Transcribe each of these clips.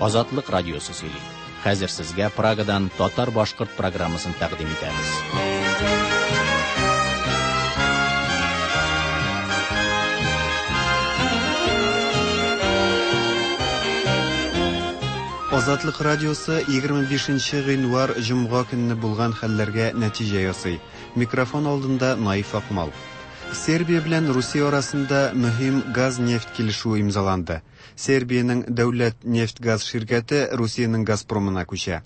Азатлык радиосы сөйли. Хәзер сезгә Прагадан татар-башкорт программасын тәкъдим итәбез. Азатлык радиосы 25 гыйнвар җомга көнне булган хәлләргә нәтиҗә ясый. Микрофон алдында Наиф Акмал. Сербия белән Русия арасында мөһим газ-нефть килешүе имзаланды. Сербиянең дәүләт нефть-газ ширкәте Русиянең Газпромына күчә.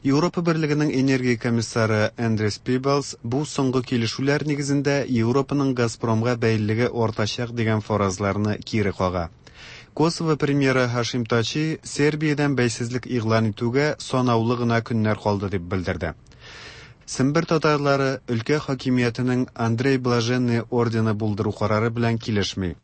Европа Берлегенең энергия комиссары Эндрис Пибалс бу соңгы килешүләр нигезендә Европаның Газпромга бәйлелеге артачак дигән фаразларны кире кага. Косово премьеры Һашим Тачи Сербиядән бәйсезлек игълан итүгә санаулы гына көннәр калды дип белдерде. Сембер татарлары өлкә хакимиятенең Андрей Блаженный ордены булдыру карары белән килешми.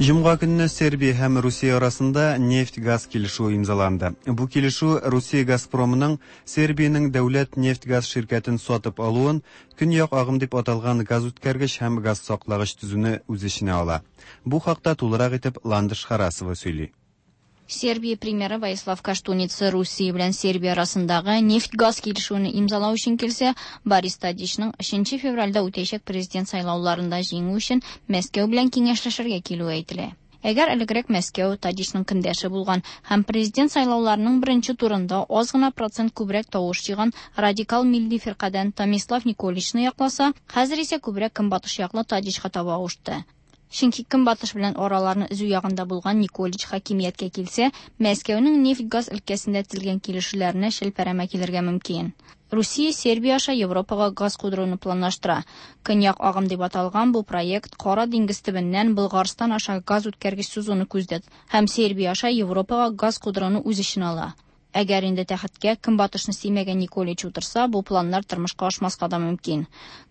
Җомга көнне Сербия һәм Русия арасында нефть-газ килешүе имзаланды. Бу килешү Русия Газпромының Сербиянең дәүләт нефть-газ ширкәтен сатып алуын, Көньяк агым дип аталган газүткәргеч һәм газсаклагыч төзүне үз эченә ала. Бу хакта тулырак итеп Ландыш Харасова сөйли. Сербия премьеры Воислав Коштуница Русия белән Сербия арасындагы нефть-газ килешүне имзалау өчен килсә, Борис Тадичның 3 февральдә үтәчәк президент сайлауларында җиңү өчен Мәскәү белән киңәшләшергә килүе әйтелә. Әгәр элегрәк Мәскәү Тадичның көндәше булган һәм президент сайлауларының беренче турында аз гына процент күбрәк тавыш җыйган радикал милли фиркадән Томислав Николичны якласа, хәзер исә күбрәк көнбатыш яклы Тадичка таба авышты. Чөнки Көнбатыш белән араларны өзү ягында булган Николич хакимияткә килсә, Мәскәүнең нефть-газ өлкәсендә төзелгән килешүләренә челпәрәмә килергә мөмкин. Русия Сербия аша Европага газ кудыруны планлаштыра. Көньяк агым дип аталган бу проект Кара диңгез төбеннән Болгарстан аша газ үткәргеч сузуны күздә һәм Сербия аша Европага газ кудыруны үз эченә ала. Әгәр инде тәхеткә Көнбатышны сөймәгән Николич утырса, бу планнар тормышка ашмаска да мөмкин.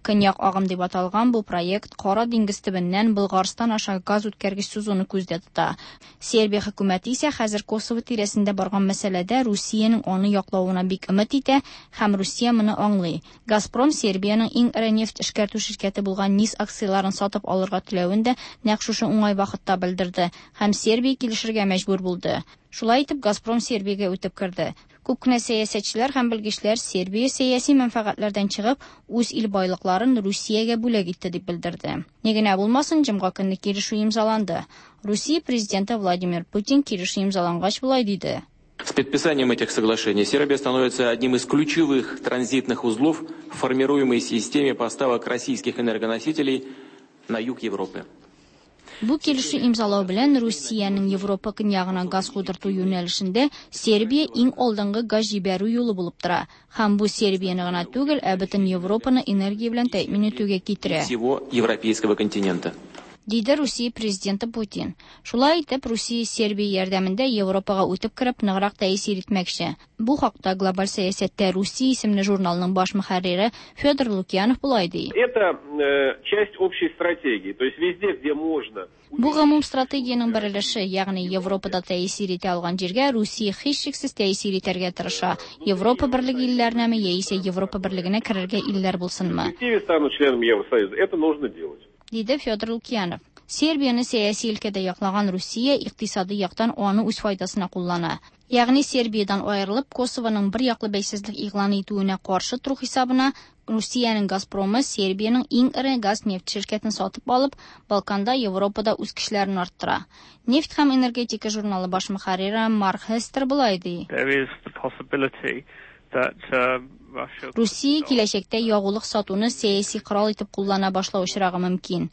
Көньяк агым дип аталган бу проект Кара диңгез төбеннән Болгарстан аша газ үткәргеч сузуны күздә тота. Сербия хөкүмәте исә хәзер Косово тирәсендә барган мәсьәләдә Русиянең аны яклавына бик өмет итә һәм Русия моны аңлый. Газпром Сербиянең иң эре нефть эшкәртү ширкәте булган НИС акцияләрен сатып алырга теләвен дә нәкъ шушы уңай вакытта белдерде һәм Сербия килешергә мәҗбүр булды. Шулай итеп, Газпром Сербиягә үтеп керде. Күп кенә сәясәтчеләр һәм белгечләр Сербия сәяси мәнфәгатьләрдән чыгып, үз ил байлыкларын Русиягә бүләк итте дип белдерде. Ни генә булмасын, җомга көнне килешү имзаланды. Русия президенты Владимир Путин килешү имзалангач болай диде. С подписанием этих соглашений Сербия становится одним из ключевых транзитных узлов в формируемой системе поставок российских энергоносителей на юг Европы. Бу килешү имзалау белән Русиянең Европа көньягына газ кудырту юнәлешендә Сербия иң алдынгы газ җибәрү юлы булып тора. Һәм бу Сербияне гына түгел, ә бөтен Европаны энергия белән тәэмин итүгә китерә. Всего европейского континента. Диде Русия президенты Путин. Шулай итеп, Русия Сербия ярдәмендә Европага үтеп кереп, ныграк тәэсир итмәкче. Бу хакта Глобаль сәясәттә Русия исемле журналның баш мөхәррире Федор Лукьянов болай ди. Это часть общей стратегии. То есть везде, где можно. Бу гомум стратегиянең бер өлеше, ягъни Европада тәэсир итә алган җиргә Русия һичшиксез тәэсир итәргә тырыша. Европа Берлеге илләренәме яисә Европа Берлегенә керергә илләр булсынмы. В перспективе станут членами Евросоюза. Это нужно делать. Диде Федор Лукьянов. Сербияне сәяси өлкәдә яклаган Русия икътисади яктан аны үз файдасына куллана. Ягъни Сербиядән аерылып, Косованың бер яклы бәйсезлек игълан итүенә каршы тору хисабына Русиянең Газпромы Сербиянең иң эре газ-нефть ширкәтен сатып алып, Балканда, Европада үз көчләрен арттыра. Нефть һәм энергетика журналы баш мөхәррире Марк Хестер болай ди. There is the possibility that Russia Русия киләчәктә ягулык сатуны сәяси корал итеп куллана башлау очрагы мөмкин.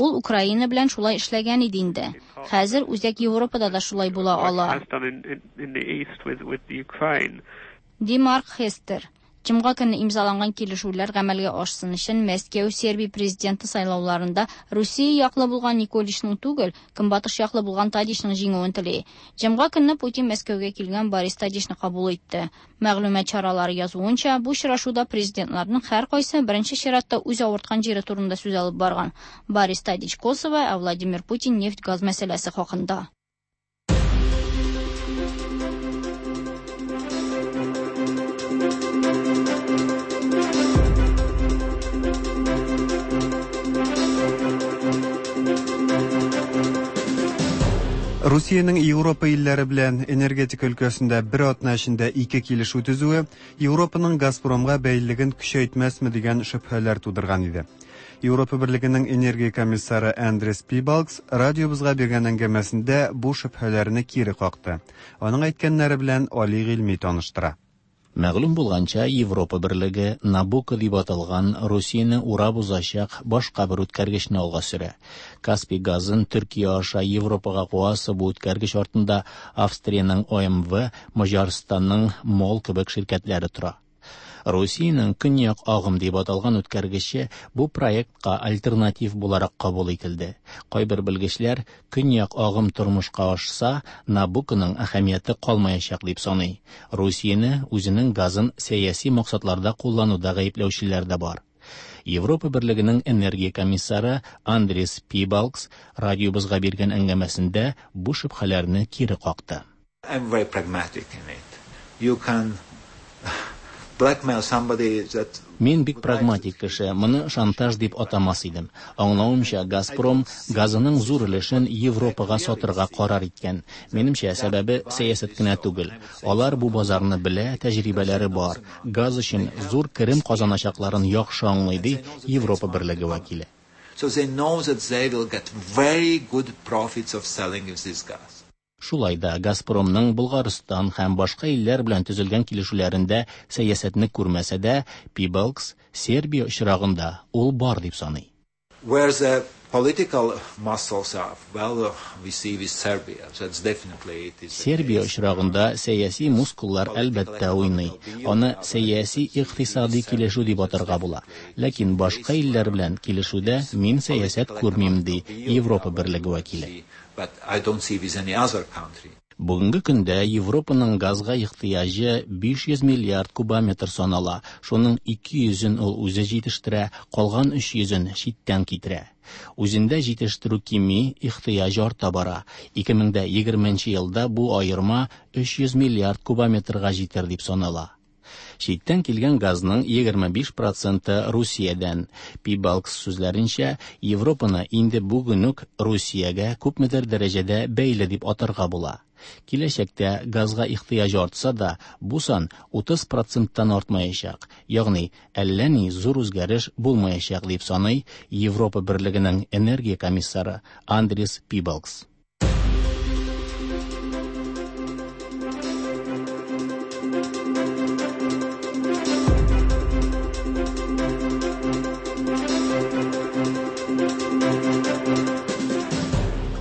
Ул Украина белән шулай эшләгән иде инде. Хәзер Үзәк Европада да шулай була ала. has done in the East with the Ukraine. Ди Марк Хестер. Җомга көнне имзаланган килешүләр гамәлгә ашсын өчен Мәскәү Сербия президенты сайлауларында Русия яклы булган Николичның түгел, Көнбатыш яклы булган Тадичның җиңүен тели. Җомга көнне Путин Мәскәүгә килгән Борис Тадичны кабул итте. Мәгълүмат чаралары язуынча, бу очрашуда президентларның һәркайсы беренче чиратта үз авырткан җире турында сүз алып барган. Борис Тадич Косово, ә Владимир Путин нефть-газ мәсьәләсе хакында. Русиянең Европа илләре белән энергетика өлкәсендә бер атна эчендә ике килешү төзүе Европаның Газпромга бәйлелеген көчәйтмәсме дигән шөбһәләр тудырган иде. Европа Берлегенең энергия комиссары Андрес Пибалгс радиобызга биргән әңгәмәсендә бу шөбһәләрне кире какты. Аның әйткәннәре белән Али Гыйльми таныштыра. Мәгълүм булганча, Европа Берлеге Набуко дип аталган Русияне урап узачак башка бер үткәргечне алга сөрә. Каспий газын Төркия аша Европага куасы бу үткәргеч артында Австриянең ОМВ, Маҗарстанның МОЛ кебек ширкәтләре тора. Русиянең Көньяк агым дип аталган үткәргече бу проектка альтернатив буларак кабул ителде. Кайбер белгечләр Көньяк агым тормышка ашса, Набуконың әһәмияте калмаячак дип саный. Русияне үзенең газын сәяси максатларда куллануда гаепләүчеләр дә бар. Европа Берлегенең энергия комиссары Андрес Пибалгс радиобызга биргән әңгәмәсендә бу шөбһәләрне кире какты. I'm very pragmatic in it. You can blackmail somebody that Мин бик прагматик кеше, моны шантаж дип атамас идем. Аңлавымча, Газпром газының зур өлешен Европага сатырга карар иткән. Минемчә, сәбәбе сәясәт кенә түгел. Алар бу базарны белә, тәҗрибәләре бар. Газ өчен зур керем казаначакларын яхшы аңлый, ди Европа Берлеге вәкиле. So they know that they will get very good profits of selling this gas. Шулай да Газпромның Болгарстан һәм башка илләр белән төзелгән килешүләрендә сәясәтне күрмәсә дә, Пибалгс Сербия очрагында ул бар дип саный. Where the political muscles are, well, we see with Serbia. That's definitely it is. Сербия очрагында сәяси мускуллар әлбәттә уйный. Аны сәяси икътисади килешү дип атарга була. Ләкин башка илләр белән килешүдә мин сәясәт күрмим, ди Европа Берлеге вәкиле. But I don't see with any other country. Бүгенге көндә Европаның газга ихтыяҗы 500 миллиард кубометр санала. Шуның 200-ен ул үзе җитештерә, калган 300-ен читтән китерә. Үзендә җитештерү кими, ихтыяҗ арта бара. 2020 елда бу аерма 300 миллиард кубометрга җитәр дип санала. Читтән килгән газның 25 проценты Русиядән. Пибалгс сүзләренчә, Европаны инде бүген үк Русиягә күпмедер дәрәҗәдә бәйле дип атарга була. Киләчәктә газга ихтыяҗ артса да, бу сан 30 проценттан артмаячак. Ягъни, әллә ни зур үзгәреш булмаячак дип саный Европа Берлегенең энергия комиссары Андрес Пибалгс.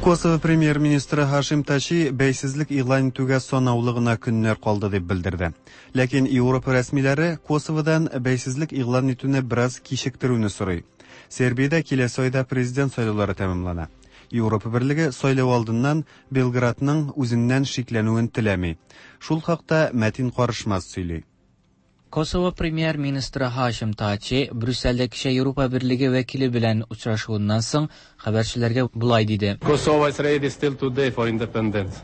Косово премьер-министры Хашим Тачи бәйсезлек игълан итүгә санаулы гына көннәр калды дип белдерде. Ләкин Европа рәсмиләре Косоводан бәйсезлек игълан итүне бераз кичектерүне сорый. Сербиядә киләсе айда президент сайлаулары тәмамлана. Европа Берлеге сайлау алдыннан Белградның үзеннән шикләнүен теләми. Шул хакта Мәтин Карышмаз сөйли. Косово премьер-министры Хашим Тачи Брюссельдә кичә Европа Берлеге вәкиле белән очрашуыннан соң хәбәрчеләргә болай диде. Kosovo is ready still today for independence.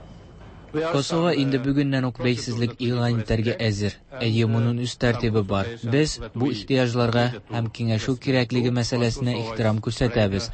Косово инде бүгеннән үк бәйсезлек игълан итәргә әзер. Әйе, моның үз тәртибе бар. Без бу ихтыяҗларга һәм киңәшү кирәклеге мәсьәләсенә ихтирам күрсәтәбез.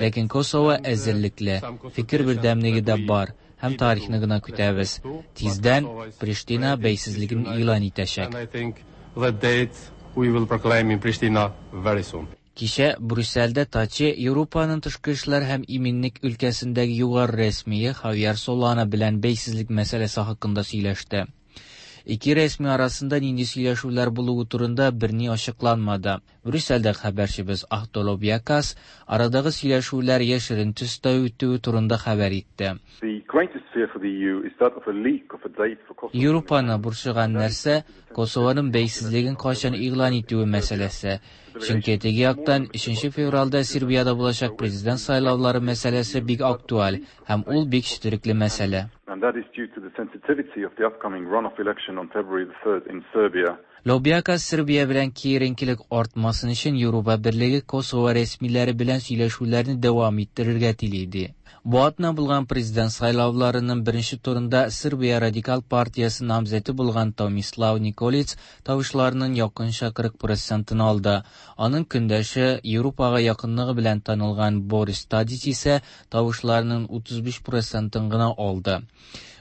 Ләкин Косово әзерлекле, фикер бердәмлеге дә бар һәм тарихны гына көтәбез. Тиздән Приштина бәйсезлеген игълан итәчәк. And I think the date we will proclaim in Pristina very soon. Кичә Брюссельдә Тачи Европаның тышкы эшләр һәм иминлек өлкәсендәге югары рәсмие Хавьер Солана белән бәйсезлек мәсьәләсе хакында сөйләште. Ике рәсми арасында нинди сөйләшүләр булуы турында берни ачыкланмады. Брюссельдә хәбәрчебез Ахтолоб Якас арадагы сөйләшүләр яшерен төстә үтүе турында хәбәр итте. Европаны борчыган нәрсә Косованың бәйсезлеген кайчан игълан итүе мәсьәләсе. Чөнки теге яктан 3 февральдә Сербиядә булачак президент сайлаулары мәсьәләсе бик актуаль һәм ул бик четерекле мәсьәлә. And that is due to the sensitivity of the upcoming runoff election on February the 3rd in Serbia. Лобиакас Сербия белән киеренкелек артмасын өчен Европа Берлеге Косово рәсмиләре белән сөйләшүләрне дәвам иттерергә тели, ди. Бу атна булган президент сайлауларының беренче турында Сербия радикал партиясе намзәте булган Томислав Николиц тавышларның якынча 40 процентын алды. Аның көндәше, Европага якынлыгы белән танылган Борис Тадич исә тавышларның 35 процентын гына алды.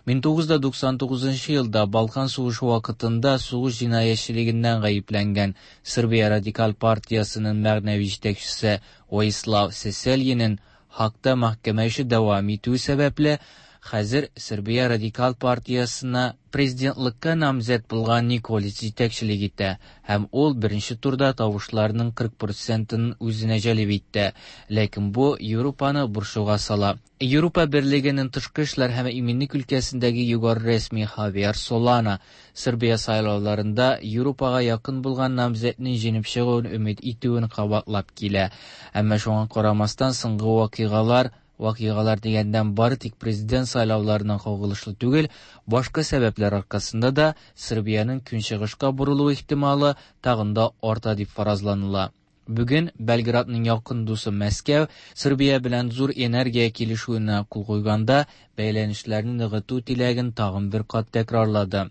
1999 елда Балкан сугышы вакытында сугыш җинаятьчелегеннән гаепләнгән Сербия радикаль партиясенең мәгънәви җитәкчесе Воислав Сесельинең Һаагта мәхкәмә эше дәвам итү сәбәпле, хәзер Сербия радикал партиясенә президентлыкка намзәт булган Николич җитәкчелек итә һәм ул беренче турда тавышларның 40 процентын үзенә җәлеп итте. Ләкин бу Европаны борчуга сала. Европа Берлегенең тышкы эшләр һәм иминлек өлкәсендәге югары рәсми Хавьер Солана Сербия сайлауларында Европага якын булган намзәтнең җиңеп чыгуын өмет итүен кабатлап килә. Әмма шуңа карамастан соңгы вакыйгалар, вакыйгалар дигәннән бары тик президент сайлауларына кагылышлы түгел, башка сәбәпләр аркасында да Сербиянең көнчыгышка борылу ихтималы тагын да арта дип фаразланыла. Бүген Белградның якын дусы Мәскәү Сербия белән зур энергия килешүенә кул куйганда бәйләнешләрне ныгыту теләген тагын бер кат тәкрарлады.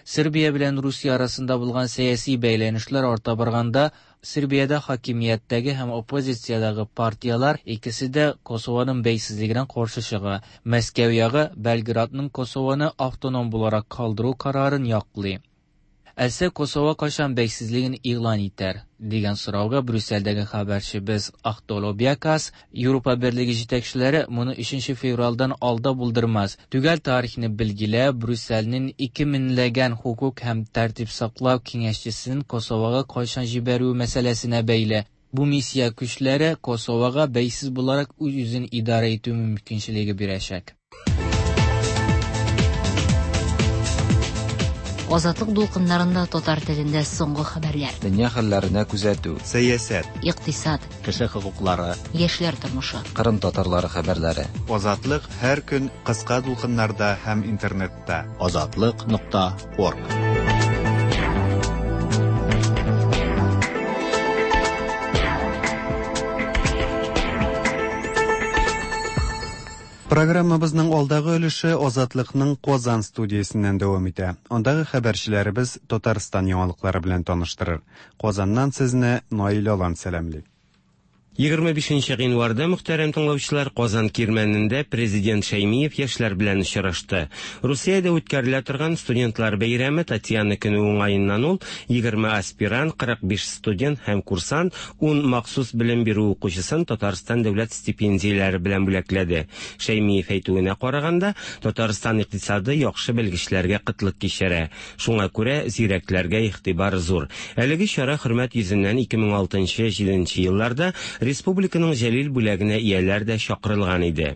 Сербия белән Русия арасында булган сәяси бәйләнешләр арта барганда, Сербиядә хакимияттәге һәм оппозициядәге партияләр икесе дә Косованың бәйсезлегенә каршы чыга. Мәскәү ягы Белградның Косованы автоном буларак калдыру карарын яклый. Әлсә Косово кайчан бәйсезлеген игълан итәр? дигән сорауга Брюссельдәге хәбәрчебез Ахтол Обиакас, Европа Берлеге җитәкчеләре моны 3 февральдән алда булдырмас. Төгәл тарихны билгеләп, Брюссельнең 2 меңләгән хокук һәм тәртип саклау киңәшчесен Косовога кайчан җибәрү мәсьәләсенә бәйле. Бу миссия көчләре Косовога бәйсез буларак үз-үзен идарә итү мөмкинчелеге бирәчәк. Азатлык дулкыннарында татар телендә соңгы хәбәрләр. Дөнья хәлләренә күзәтү. Сәясәт. Икътисад. Кеше хокуклары. Яшьләр тормышы. Кырым татарлары хәбәрләре. Азатлык һәр көн кыска дулкыннарда һәм интернетта. Азатлык нокта орг. Программабызның алдагы өлеше Азатлыкның Казан студиясеннән дәвам итә. Андагы хәбәрчеләребез Татарстан яңалыклары белән таныштырыр. Казаннан сезне Наил Алан сәламли. 25 гыйнварда мөхтәрәм тыңлаучылар Казан Кирмәнендә президент Шәймиев яшьләр белән очрашты. Русиядә үткәрелә торган студентлар бәйрәме Татьяна көне уңаеннан ул 20 аспирант, 45 студент һәм курсант, 10 махсус белем бирү укучысын Татарстан дәүләт стипендияләре белән бүләкләде. Шәймиев әйтүенә караганда, Татарстан икътисады яхшы белгечләргә кытлык кичерә. Шуңа күрә зирәкләргә игътибар зур. Әлеге чара хөрмәт йөзеннән 2006-7 елларда республиканың Җәлил бүләгенә ияләр дә чакырылган иде.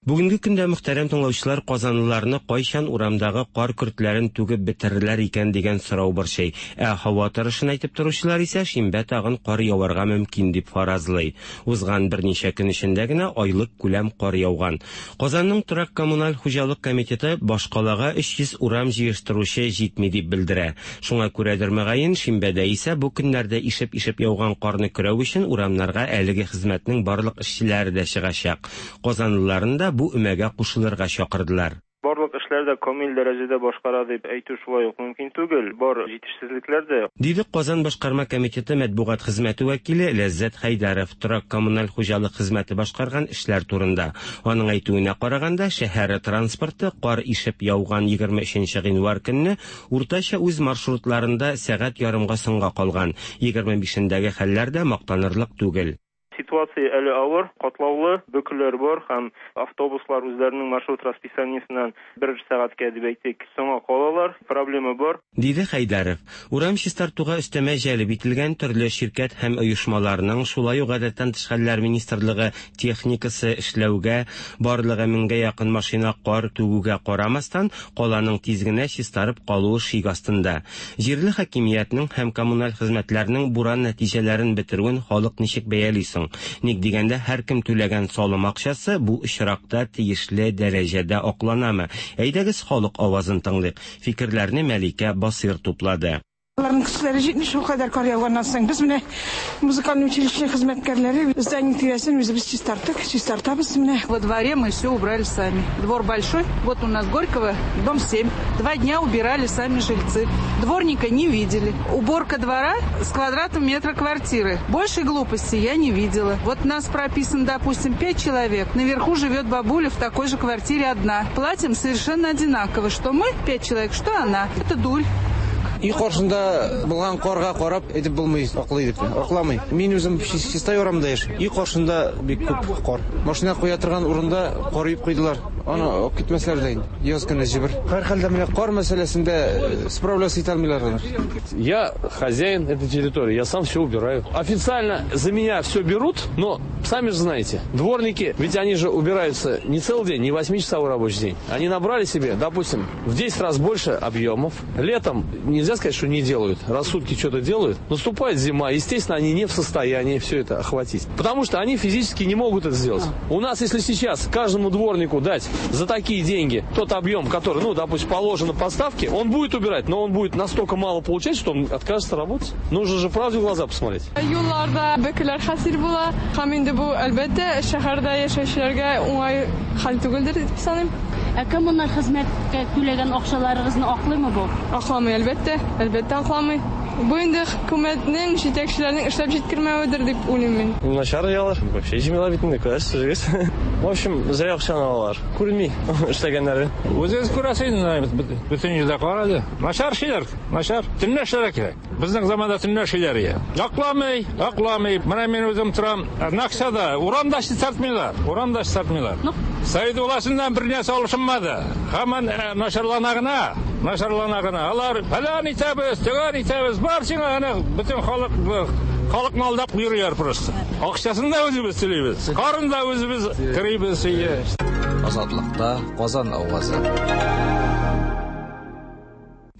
Бүгенге көндә мөхтәрәм тыңлаучылар казанлыларны кайчан урамдагы кар көртләрен түгеп бетерерләр икән дигән сорау борчый. Ә һава торышын әйтеп торучылар исә шимбә тагын кар яварга мөмкин дип фаразлый. Узган берничә көн эчендә генә айлык күләм кар яуган. Казанның торак коммуналь хуҗалык комитеты башкалага 300 урам җыештыручы җитми дип белдерә. Шуңа күрәдер мөгаен, шимбәдә исә бу көннәрдә ишеп-ишеп яуган карны көрәү өчен урамнарга әлеге хезмәтнең барлык эшчеләре дә чыгачак. Казанлыларын да бу өмәгә кушылырга чакырдылар. Барлык эшләр дә камил дәрәҗәдә башкара дип әйтү шулай ук мөмкин түгел, бар җитешсезлекләр дә. Диде Казан башкарма комитеты матбугат хезмәте вәкиле Ләззәт Хәйдәров торак коммуналь хуҗалык хезмәте башкарган эшләр турында. Аның әйтүенә караганда, шәһәр транспорты кар ишеп яуган 23 гыйнвар көнне уртача үз маршрутларында сәгать ярымга соңга калган. 25-ndәге хәлләр дә мактанырлык түгел. Ситуация әле авыр, катлаулы, бөкеләр бар һәм автобуслар үзләренең маршрут расписаниесеннән бер сәгатькә дип әйтик, соңга калалар, проблема бар. Диде Хәйдәров. Урам чистартуга өстәмә җәлеп ителгән төрле ширкәт һәм оешмаларның, шулай ук гадәттән тыш хәлләр министрлыгы техникасы эшләүгә, барлыгы меңгә якын машина кар түгүгә карамастан, каланың тиз генә чистарып калуы шик астында. Җирле хакимиятнең һәм коммуналь хезмәтләрнең буран нәтиҗәләрен бетерүен халык ничек бәяли соң? Ник дигәндә, һәркем түләгән салым акчасы бу очракта тиешле дәрәҗәдә акланамы? Әйдәгез, халык авазын тыңлыйк. Фикерләрне Мәликә Басыйр туплады. Аларның көчләре җитми шулкадәр кар яуганнан соң. Без менә музыкальный училище хезмәткәрләре здание тирәсен үзебез чистарттык, чистартабыз менә. Во дворе мы все убрали сами. Двор большой, вот у нас Горького, дом 7. 2 дня убирали сами жильцы. Дворника не видели. Уборка двора с квадратом метра квартиры. Больше глупости я не видела. Вот нас прописано, допустим, 5 человек. Наверху живет бабуля в такой же квартире одна. Платим совершенно одинаково. Что мы 5 человек, что она. Это дурь. Өй каршында булган карга карап әйтеп булмый, аклый дип. Акламый. Мин үзем Чистай урамында яшим. Өй каршында бик күп кар. Машина куя торган урында кар өеп куйдылар. Аны алып китмәсләр дә инде. Яз көне җибер. Һәрхәлдә менә кар мәсьәләсендә справляться итә алмыйлар алар. Я хозяин этой территории, я сам все убираю. Официально за меня все берут, но сами же знаете, дворники, ведь они же убираются не целый день, не 8-часовой рабочий день. Они набрали себе, допустим, в 10 раз больше объемов. Летом нельзя сказать, что не делают. Раз в сутки что-то делают. Наступает зима, естественно, они не в состоянии все это охватить. Потому что они физически не могут это сделать. У нас, если сейчас каждому дворнику дать за такие деньги тот объем, который, допустим, положено по ставке, он будет убирать, но он будет настолько мало получать, что он откажется работать. Нужно же правде в глаза посмотреть. Юлларда бөкеләр хасил була. Һәм инде бу, әлбәттә, шәһәрдә яшәүчеләргә уңай хәл түгелдер дип саныйм. Ә коммуналь хезмәткә түләгән акчаларыгызны аклыймы бу? Акламый, әлбәттә. Әлбәттә акламый. Бу инде хөкүмәтнең, җитәкчеләрнең эшләп җиткермәведер дип уйлыйм мин. Начар ялар. Вообще җимелә бит инде, күрәсез, үзегез. В общем, зря акчаны алалар. Күренми эшләгәннәре. Үзегез күрәсез инде, бөтен җирдә кар әле. Начар эшлиләр, начар. Төнлә эшләргә кирәк. Безнең заманда төнлә эшлиләр иде. Акламый, акламый. Менә мин үзем торам. Наксада, урамда чистартмыйлар. Урамда чистартмыйлар. Совет властеннән бер нәрсә алышынмады. Һаман начарлана гына, начарлана гына. Алар фәлән итәбез, төгән итәбез. Бар сиңа әнә бөтен халык, халыкны алдап йөриләр просто. Акчасын да үзебез түлибез. Карын да үзебез керибез өйгә. Азатлыкта Казан авазы.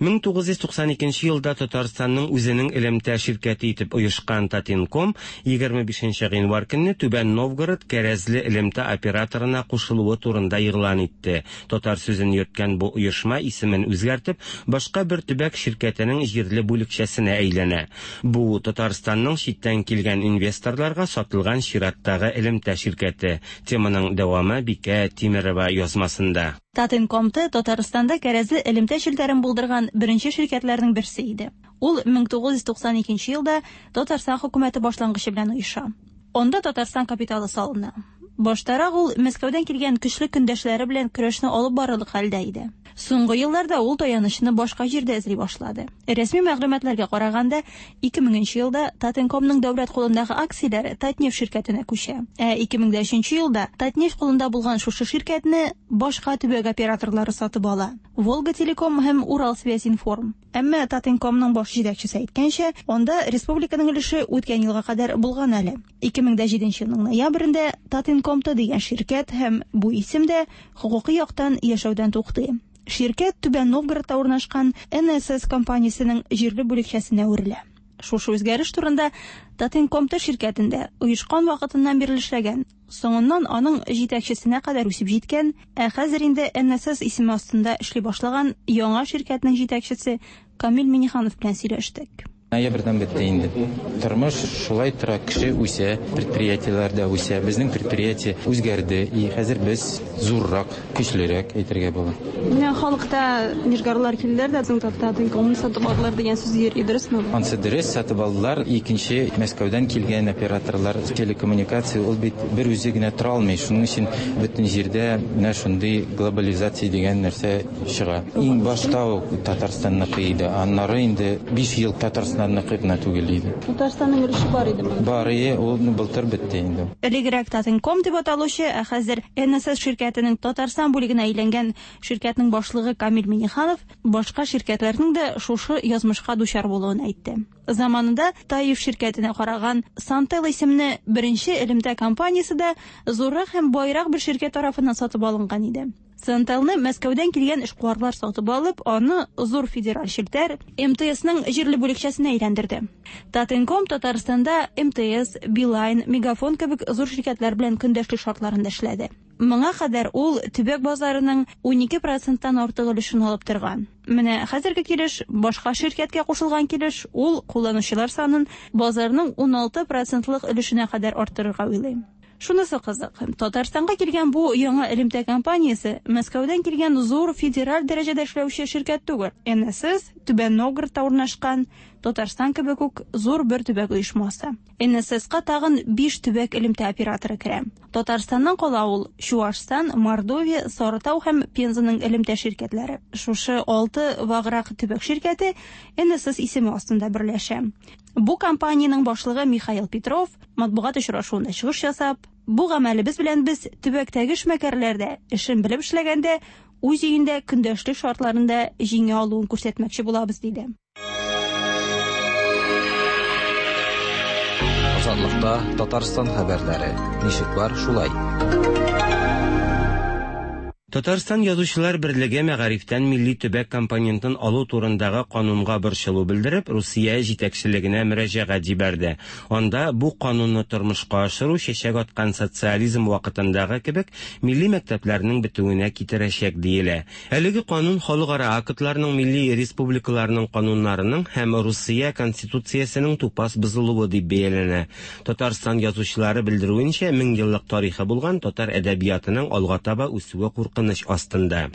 1992 елда Татарстанның үзенең элемтә ширкәте итеп оешкан Татинком егерме бишенче гыйнвар көнне Түбән Новгород кәрәзле элемтә операторына кушылуы турында игълан итте. Татар сүзен йөрткән бу оешма исемен үзгәртеп, башка бер төбәк ширкәтенең җирле бүлекчәсенә әйләнә. Бу Татарстанның читтән килгән инвесторларга сатылган чираттагы элемтә ширкәте. Теманың дәвамы Бикә Тимерова язмасында. Татинком-Т Татарстанда кәрәзле элемтә челтәрен булдырган беренче ширкәтләрнең берсе иде. Ул мең тугыз йөз туксан икенче елда Татарстан хөкүмәте башлангычы белән оеша. Анда Татарстан капиталы салына. Баштарак ул Мәскәүдән килгән көчле көндәшләре белән көрәшне алып барырлык хәлдә иде. Соңгы елларда ул таянычны башка җирдә эзли башлады. Рәсми мәгълүматларга караганда, ике меңенче елда Татинкомның дәүләт кулындагы акцияләре Татнефть ширкәтенә күчә. Ә ике мең дә өченче елда Татнефть кулында булган шушы ширкәтне башка төбәк операторлары сатып ала. Волга Телеком һәм Уралсвязьинформ. Әмма Татинкомның баш җитәкчесе әйткәнчә, анда республиканың өлеше үткән елга кадәр булган әле. Ике мең дә җиденче елның ноябрендә Татинком-Т дигән ширкәт һәм бу исем дә хокукый яктан яшәүдән туктый. Ширкәт Түбән Новгородта урнашкан эн эс эс компаниясенең җирле бүлекчәсенә әверелә. Шушы үзгәреш турында Татинком-Т ширкәтендә оешкан вакытыннан бирле эшләгән, соңыннан аның җитәкчесенә кадәр үсеп җиткән, ә хәзер инде эн эс эс исеме астында эшли башлаган яңа ширкәтнең җитәкчесе Камил Миниханов белән сөйләштек. Ноябрьдән бетте инде. Тормыш шулай тора, кеше үсә, предприятиеләр дә үсә. Безнең предприятие үзгәрде, и хәзер без зуррак, көчлерәк әйтергә була. Менә халыкта нижгарлар килделәр дә, безнең Татинкомны сатып алдылар дигән сүз йөри, дөресме бу? Ансы дөрес, сатып алдылар. Икенче Мәскәүдән килгән операторлар, телекоммуникация ул бит бер үзе генә тора алмый. Шуның өчен бөтен җирдә менә шундый глобализация дигән нәрсә чыга. Иң башта ук Татарстанныкы иде, аннары инде 5 ел Татарстан Татарстанныкы гына түгел иде. Татарстанның өлеше бар иде монда. Бар иде, ул былтыр бетте инде. Элегрәк Татинком дип аталучы, ә хәзер эн эс эс ширкәтенең Татарстан бүлегенә әйләнгән ширкәтнең башлыгы Камил Миниханов башка ширкәтләрнең дә шушы язмышка дучар булуын әйтте. Заманында Таиф ширкәтенә караган Сантел исемле беренче элемтә компаниясе дә зуррак һәм байрак бер ширкәт тарафыннан сатып алынган иде. Центелны Мәскәүдән килгән эшкуарлар сатып алып, аны зур федераль челтәр МТСның җирле бүлекчәсенә әйләндерде. Татинком Татарстанда МТС, Билайн, Мегафон кебек зур ширкәтләр белән көндәшлек шартларында эшләде. Моңа кадәр ул төбәк базарының 12 проценттан артык өлешен алып торган. Менә хәзерге килеш, башка ширкәткә кушылган килеш, ул кулланучылар санын базарның 16 процентлык өлешенә кадәр арттырырга уйлый. Шунысы кызык, Татарстанга килгән бу яңа элемтә компаниясе Мәскәүдән килгән зур федераль дәрәҗәдә эшләүче ширкәт түгел. НСС Түбән Новгородта урнашкан, Татарстан кебек үк зур бер төбәк оешмасы. НССка тагын 5 төбәк элемтә операторы керә. Татарстаннан кала ул Чуашстан, Мордовия, Сарытау һәм Пензаның элемтә ширкәтләре. Шушы алты ваграк төбәк ширкәте НСС исеме астында берләшә. Бу компаниянең башлыгы Михаил Петров матбугат очрашуында чыгыш ясап, бу гамәлебез белән без төбәктәге эшмәкәрләр дә эшен белеп эшләгәндә үз өендә көндәшлек шартларында җиңә алуын күрсәтмәкче булабыз, диде. Азатлыкта Татарстан хәбәрләре. Ничек бар, шулай. Татарстан Язучылар берлеге мәгарифтән милли төбәк компонентын алу турындагы канунга борчылу белдереп, Русия җитәкчелегенә мөрәҗәгать җибәрде. Анда бу канунны тормышка ашыру чәчәк аткан социализм вакытындагы кебек милли мәктәпләрнең бетүенә китерәчәк диелә. Әлеге канун халыкара актларның, милли республикаларның кануннарының һәм Русия Конституциясенең тупас бозылуы дип бәяләнә. Татарстан язучылары белдерүенчә, меңьеллык тарихы булган татар әдәбиятының алга таба үсүе куркыныч астында.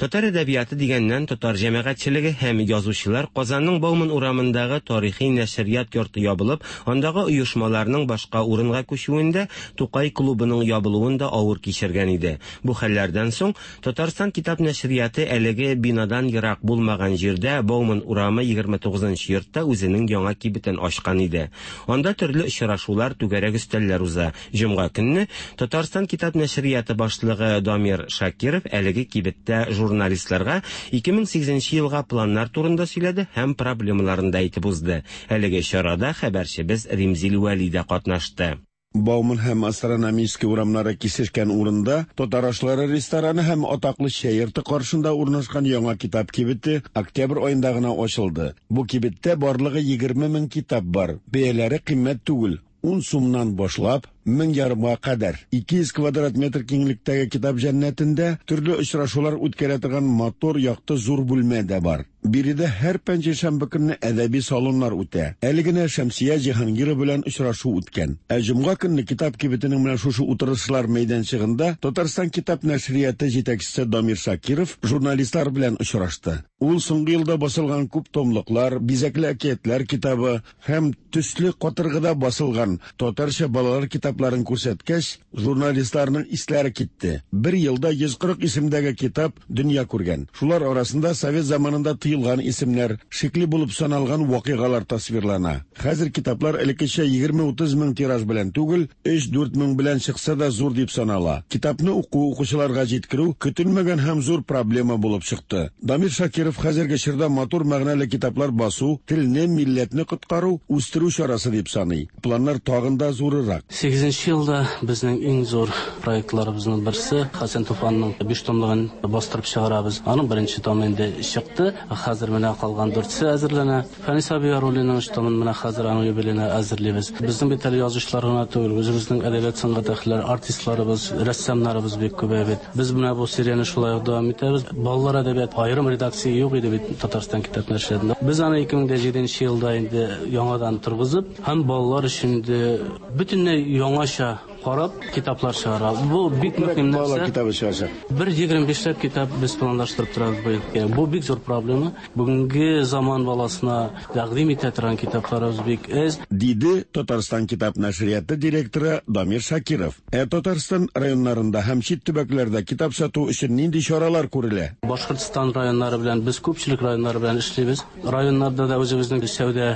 Татар әдәбияты дигәннән, татар җәмәгатьчелеге һәм язучылар Казанның Бауман урамындагы тарихи нәшрият йорты ябылып, андагы оешмаларның башка урынга күчүен дә, Тукай клубының ябылуын да авыр кичергән иде. Бу хәлләрдән соң Татарстан китап нәшрияты әлеге бинадан ерак булмаган җирдә, Бауман урамы 29 нчы йортта үзенең яңа кибетен ачкан иде. Анда төрле очрашулар, түгәрәк өстәлләр уза. Җомга көнне Татарстан китап нәшрияты башлыгы Дамир Шакиров әлеге кибеттә журналистларга 2008 нче елга планнар турында сөйләде һәм проблемаларын да әйтеп узды. Әлеге чарада хәбәрчебез Римзил Вәли дә катнашты. Бауман һәм Астрономический урамнары кисешкән урында Татар ашлары рестораны һәм атаклы чәй йорты каршында урнашкан яңа китап кибете октябрь аенда гына ачылды. Бу кибеттә барлыгы 20 мең китап бар. Бәяләре кыйммәт түгел, ун сумнан башлап, мең ярымга кадәр. 200 квадрат метр киңлектәге китап җәннәтендә төрле очрашулар үткәрә торган матур, якты зур бүлмә дә бар. Биредә һәр пәнҗешәмбе көнне әдәби салоннар үтә. Әле генә Шәмсия Җиһангирова белән очрашу үткән. Ә җомга көнне китап кибетенең менә шушы утырышлар мәйданчыгында Татарстан китап нәшрияты җитәкчесе Дамир Шакиров журналистлар белән очрашты. Ул соңгы елда басылган күп томлыклар, бизәкле әкиятләр китабы һәм төсле катыргыда басылган татарча балалар китапларын күрсәткәч, журналистларның исләре китте. Бер елда 140 исемдәге китап дөнья күргән. Шулар арасында совет заманында тыелган исемнәр, шикле булып саналган вакыйгалар тасвирлана. Хәзер китаплар элеккечә 20-30 мең тираж белән түгел, 3-4 мең белән чыкса да зур дип санала. Китапны уку, укучыларга җиткерү көтелмәгән һәм зур проблема булып чыкты. Дамир Шакиров хәзерге чорда матур мәгънәле китаплар басу, телне, милләтне коткару, үстерү чарасы дип саный. Планнар тагын да зурырак. Сигезенче елда безнең иң зур проектларыбызның берсе, Хәсән Туфанның биш томлыгын бастырып чыгарабыз. Аның беренче томы инде чыкты. Хәзер менә калган дүртсе әзерләнә. Фәнис абый Яруллинның өч томын менә хәзер аның юбилеена әзерлибез. Безнең бит әле язучылар гына түгел, үзебезнең әдәбият сәнгать әһелләре, артистларыбыз, рәссамнарыбыз бик күбәя бит. Без менә бу серияне шулай ук дәвам итәбез. Балалар әдәбияты аерым редакция юк иде бит Татарстан китап нәшриятында. Без аны 2007 нче елда инде яңадан торгызып һәм балалар өчен инде бөтенләй яңача карап китаплар чыгара. Бу бик мөһим нәрсә. Балалар китабы чыгачак. Бер 25 ләп китап без планлаштырып торабыз быел. Бу бик зур проблема. Бүгенге заман баласына тәкъдим итә торган китапларыбыз бик әз. Диде Татарстан китап нәшрияты директоры Дамир Шакиров. Ә Татарстан районнарында һәм чит төбәкләрдә китап сату өчен нинди чаралар күрелә? Башкортстан районнары белән без күпчелек районнар белән эшлибез. Районнарда да үзебезнең сәүдә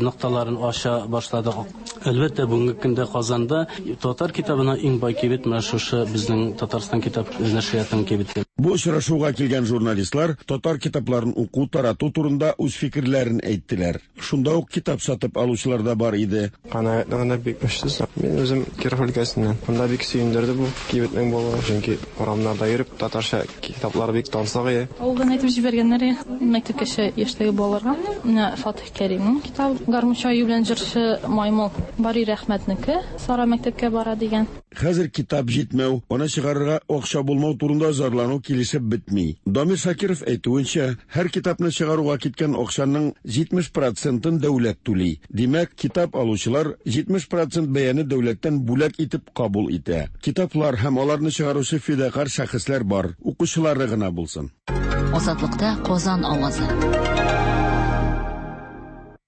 нокталарын ача башладык. Әлбәттә, бүгенге көндә Казанда татар китабына иң бай кибет менә шушы безнең Татарстан китап нәшриятының кибете. Бу очрашуга килгән журналистлар татар китапларын уку, тарату турында үз фикерләрен әйттеләр. Шунда ук китап сатып алучылар да бар иде. Канәгатьлегендә бик көчсез. Мин үзем Киров өлкәсеннән. Монда бик сөендерде бу кибетнең булуы, чөнки урамнарда йөреп татарча китаплар бик тансык иде. Авылдан әйтеп җибәргәннәр мәктәпкәчә яшьтәге балаларга. Менә Фатих Кәримнең китабы Гармунчы аю белән җырчы маймыл. Бари Рәхмәтнеке Сара мәктәпкә бара дигән. Хәзер китап җитмәү, аны чыгарырга акча булмау турында зарлану килешеп бетми. Дамир Шакиров әйтүенчә, һәр китапны чыгаруга киткән акчаның 70 процентын дәүләт түли. Димәк, китап алучылар 70 процент бәяне дәүләттән бүләк итеп кабул итә. Китаплар һәм аларны чыгаручы фидакарь шәхесләр бар, укучылары гына булсын. Азатлыкта Казан авазы.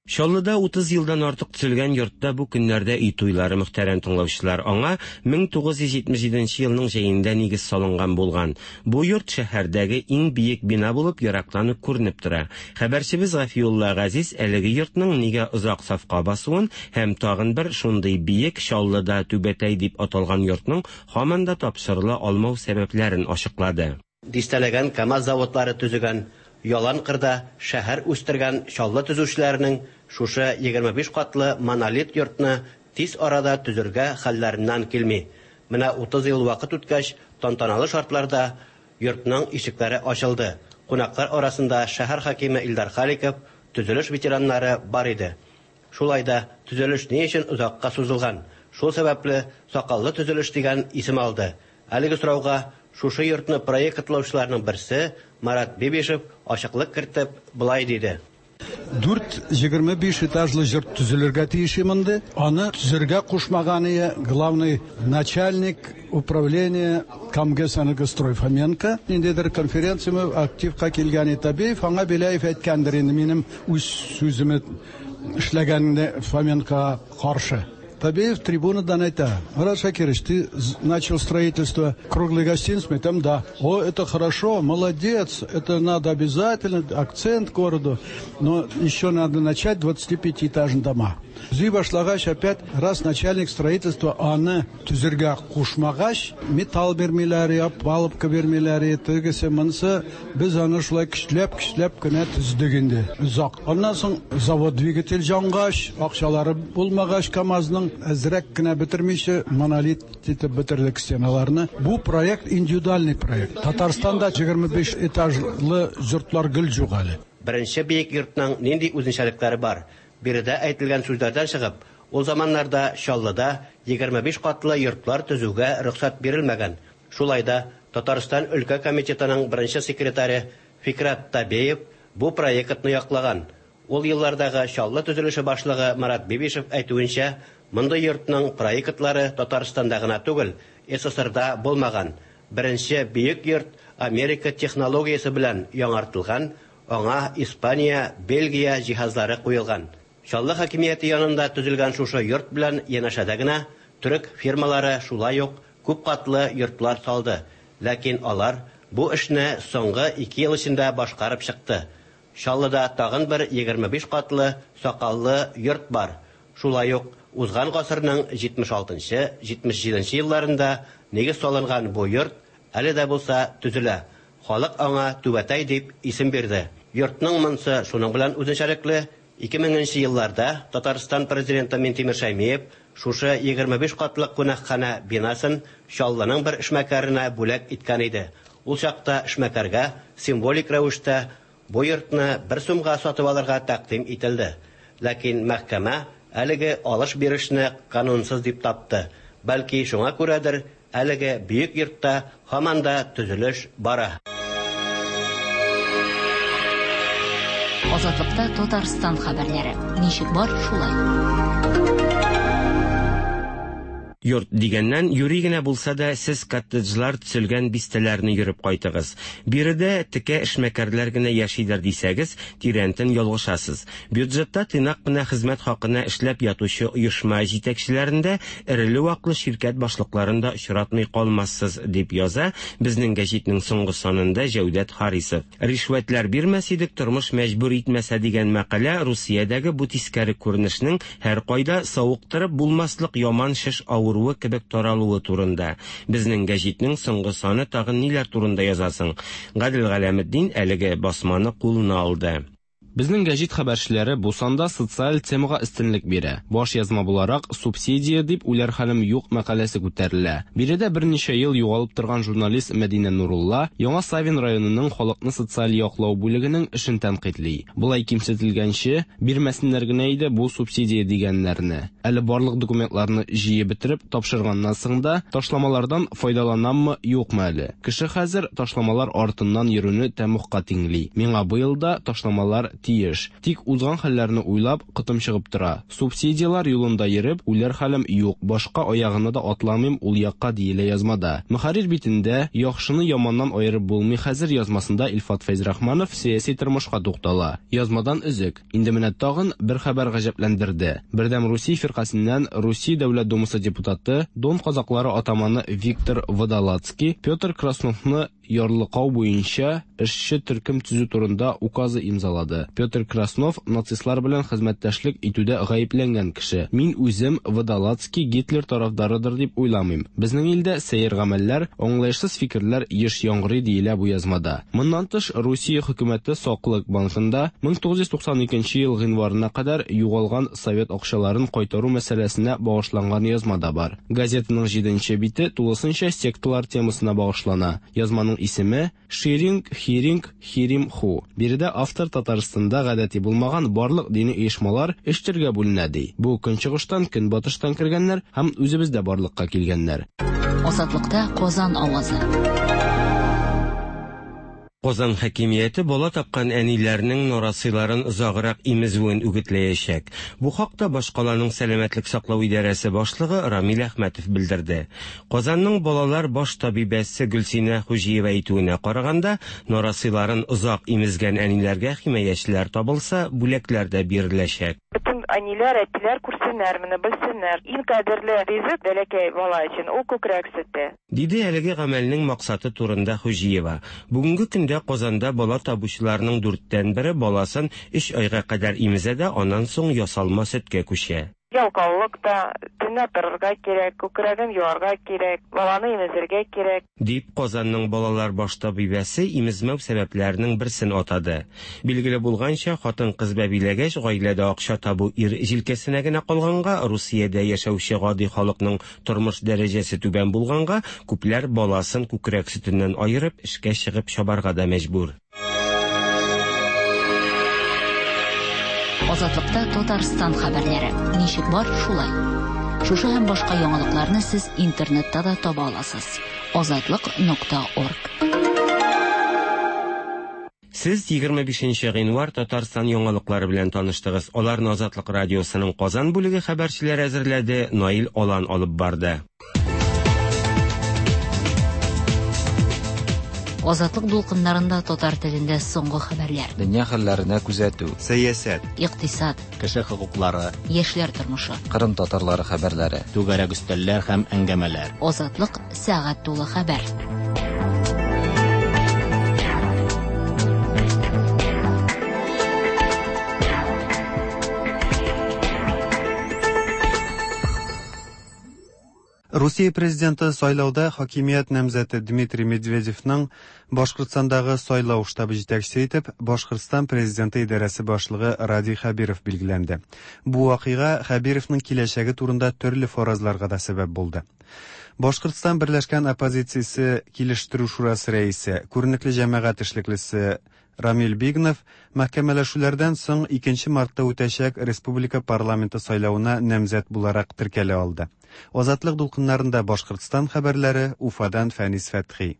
Чаллыда 30 елдан артык төзелгән йортта бу көннәрдә өй туйлары, мөхтәрәм тыңлаучылар. Аңа 1977 елның җәендә нигез салынган булган. Бу йорт шәһәрдәге иң биек бина булып ерактан ук күренеп тора. Хәбәрчебез Гафиулла Газиз әлеге йортның нигә озак сафка басуын һәм тагын бер шундый биек Чаллыда Түбәтәй дип аталган йортның һаман да тапшырыла алмау сәбәпләрен ачыклады. Дистәләгән КАМАЗ заводлары төзегән, ялан кырда шәһәр үстергән Чаллы төзүчеләренең шушы 25 катлы монолит йортны тиз арада төзергә хәлләреннән килми. Менә 30 ел вакыт үткәч, тантаналы шартларда йортның ишекләре ачылды. Кунаклар арасында шәһәр хакиме Илдар Халиков, төзелеш ветераннары бар иде. Шулай да төзелеш ни өчен озакка сузылган? Шул сәбәпле сакаллы төзелеш дигән исем алды. Әлеге сорауга шушы йортны проектлаучыларның берсе Марат Бибишев ачыклык кертеп болай диде. 4 25 этажлы йорт төзелергә тиеш монда. Аны төзергә кушмаган главный начальник управления Камгэсэнергострой Фоменко. Ниндидер конференция активка килгән Табеев, аңа Беляев әйткәндер инде минем үз сүземне эшләгәнне Фоменко каршы. Табеев трибунадан әйтә: Марат Шакирович, ты начал строительство круглой гостиницы? Там да. О, это хорошо, молодец, это надо обязательно, акцент городу, но еще надо начать 25-этажные дома. Төзи башлагач, опять раз начальник строительства аны төзергә кушмагач, металл бирмиләр, палубка бирмиләр, тегесе монысы, без аны шулай көчләп-көчләп кенә төздек инде. Озак. Аннан соң завод двигатель җангач, акчалары булмагач КАМАЗның әзрәк кенә бетермичә монолит итеп бетердек стеналарны. Бу проект индивидуальный проект. Татарстанда 25 этажлы йортлар гел юк әле. Беренче биек йортның нинди үзенчәлекләре бар? Биредә әйтелгән сүзләрдән чыгып, ул заманнарда Чаллыда 25 катлы йортлар төзүгә рөхсәт бирелмәгән. Шулай да Татарстан өлкә комитетының беренче секретаре Фикрат Табеев бу проектны яклаган. Ул еллардагы Чаллы төзелеше башлыгы Марат Бибишев әйтүенчә, мондый йортның проектлары Татарстанда гына түгел, СССРда булмаган. Беренче биек йорт Америка технологиясе белән яңартылган, аңа Испания, Бельгия җиһазлары куелган. Чаллы хакимияте янында төзелгән шушы йорт белән янәшәдә генә төрек фирмалары шулай ук күп катлы йортлар салды. Ләкин алар бу эшне соңгы 2 ел эчендә башкарып чыкты. Чаллыда тагын бер 25 катлы сакаллы йорт бар. Шулай ук узган гасырның 76-77 елларында нигез салынган бу йорт әле дә булса төзелә. Халык аңа Түбәтәй дип исем бирде. Йортның монсы шуның белән үзенчәлекле. 2000 елларда Татарстан президенты Минтимер Шәймиев шушы 25 катлы кунакханә бинасын Чаллының бер эшмәкәренә бүләк иткән иде. Ул чакта эшмәкәргә символик рәвештә бу йортны бер сумга сатып алырга тәкъдим ителде. Ләкин мәхкәмә әлеге алыш-бирешне канунсыз дип тапты. Бәлки шуңа күрәдер, әлеге бөек йортта һаман да төзелеш бара. Азатлыкта Татарстан хәбәрләре. Ничек бар, шулай. Йорт дигәннән, юри генә булса да, сез коттеджлар төзелгән бистәләрне йөреп кайтыгыз. Биредә текә эшмәкәрләр генә яшидер дисәгез, тирәнтен ялгышасыз. Бюджетта тыйнак кына хезмәт хакына эшләп ятучы оешма җитәкчеләрендә эреле-ваклы ширкәт башлыкларын да очратмый калмассыз, дип яза безнең гәҗитнең соңгы санында Җәүдәт Харисов. Ришвәтләр бирмәс идек, тормыш мәҗбүр итмәсә дигән мәкалә Русиядәге бу тискәре күренешнең һәркайда савыктырып булмаслык яман шеш авыру авыруы кебек таралуы турында. Безнең гәҗитнең соңгы саны тагын ниләр турында яза соң? Гадел Галәметдин әлеге басманы кулына алды. Безнең гәҗит хәбәрчеләре бу санда социаль темага өстенлек бирә. Баш язма буларак Субсидия дип үләр хәлем юк мәкаләсе күтәрелә. Биредә берничә ел югалып торган журналист Мәдинә Нурулла Яңа Савин районының халыкны социаль яклау бүлегенең эшен тәнкыйтьли. Болай кимсетелгәнче, бирмәсеннәр генә иде бу субсидия дигәннәрне. Әле барлык документларны җыеп бетереп, тапшырганнан соң да, ташламалардан файдаланаммы, юкмы әле. Кеше хәзер ташламалар артыннан йөрүне тәмугка тиңли. Миңа быел да ташламалар тиеш. Тик узган хәлләрне уйлап, котым чыгып тора. Субсидияләр юлында йөреп, үләр хәлем юк, башка аягына да атламыйм ул якка, диелә язмада. Мөхәррир битендә Яхшыны яманнан аерып булмый хәзер язмасында Илфат Фәйзрахманов сәяси тормышка туктала. Язмадан өзек. Инде менә тагын бер хәбәр гаҗәпләндерде. Бердәм Русия фиркасеннән Русия Дәүләт Думасы депутаты, Дон казаклары атаманы Виктор Водолацкий Петр Красновны ярлыкау буенча эшче төркем төзү турында указы имзалады. Петр Краснов нацистлар белән хезмәттәшлек итүдә гаепләнгән кеше. Мин үзем Водолацкий Гитлер тарафдарыдыр дип уйламыйм. Безнең илдә сәер гамәлләр, аңлаешсыз фикерләр еш яңгырый, диелә бу язмада. Моннан тыш, Русия хөкүмәте Саклык банкында 1992 ел гыйнварына кадәр югалган совет акчаларын кайтару мәсьәләсенә багышланган язма да бар. Газетаның җиденче бите тулысынча секталар темасына багышлана. Язманың исеме, Ширинг, Хиринг, Хирим Ху. Биредә автор Татарстанда гадәти булмаган барлык дини оешмалар өч төргә бүленә ди. Бу көнчыгыштан, көнбатыштан кергәннәр һәм үзебездә барлыкка килгәннәр. Азатлыкта Казан авазы. Казан хакимияте бала тапкан әниләрнең нарасыйларын озаграк имезүен үгетләячәк. Бу хакта башкаланың сәламәтлек саклау идарәсе башлыгы Рамил Әхмәтов белдерде. Казанның балалар баш табибәсе Гөлсинә Хуҗиева әйтүенә караганда, нарасыйларын озак имезгән әниләргә химаячеләр табылса, бүләкләр дә биреләчәк. Бөтен әниләр, әтиләр күрсеннәр моны, белсеннәр. Иң кадерле ризык бәләкәй бала өчен ул күкрәк сөте. Диде әлеге гамәлнең максаты турында Хуҗиева. Бүгенге көндә Казанда бала табучыларның дүрттән бере баласын өч айга кадәр имезә дә, аннан соң ясалма сөткә күчә. Ялкаулык та, төнлә торырга кирәк, күкрәген юарга кирәк, баланы имезергә кирәк. Дип, Казанның балалар баш табибәсе имезмәү сәбәпләренең берсен атады. Билгеле булганча, хатын-кыз бәбиләгәч, гаиләдә акча табу ир җилкәсенә генә калганга, Русиядә яшәүче гади халыкның Тормыш дәрәҗәсе түбән булганга, күпләр баласын күкрәк сөтеннән аерып, эшкә чыгып чабарга да мәҗбүр. Азатлыкта Татарстан хәбәрләре. Ничек бар, шулай. Шушы һәм башка яңалыкларны сез интернетта да таба аласыз. Азатлык.орг. Сез 25 нче гыйнвар Татарстан яңалыклары белән таныштыгыз. Аларны Азатлык радиосының Казан бүлеге хәбәрчеләре әзерләде, Наил Алан алып барды. Азатлык дулкыннарында татар телендә соңгы хәбәрләр. Дөнья хәлләренә күзәтү. Сәясәт. Икътисад. Кеше хокуклары. Яшьләр тормышы. Кырым татарлары хәбәрләре. Түгәрәк өстәлләр һәм әңгәмәләр. Азатлык сәгать тулы хәбәр. Русия президенты сайлауда хакимият намзәте Дмитрий Медведевның Башкортстандагы сайлау штабы җитәкчесе итеп Башкортстан президенты идарәсе башлыгы Радий Хәбиров билгеләнде. Бу вакыйга Хәбировның киләчәге турында төрле фаразларга да сәбәп булды. Башкортстан берләшкән оппозициясе килештерү шурасы рәисе, күренекле җәмәгать эшлеклесе Рамил Бигнов мәхкәмәләшүләрдән соң 2 мартта үтәчәк республика парламенты сайлавына намзәт буларак теркәлә алды. Азатлык дулкыннарында Башкортстан хәбәрләре, Уфадан Фәнис Фәтхи.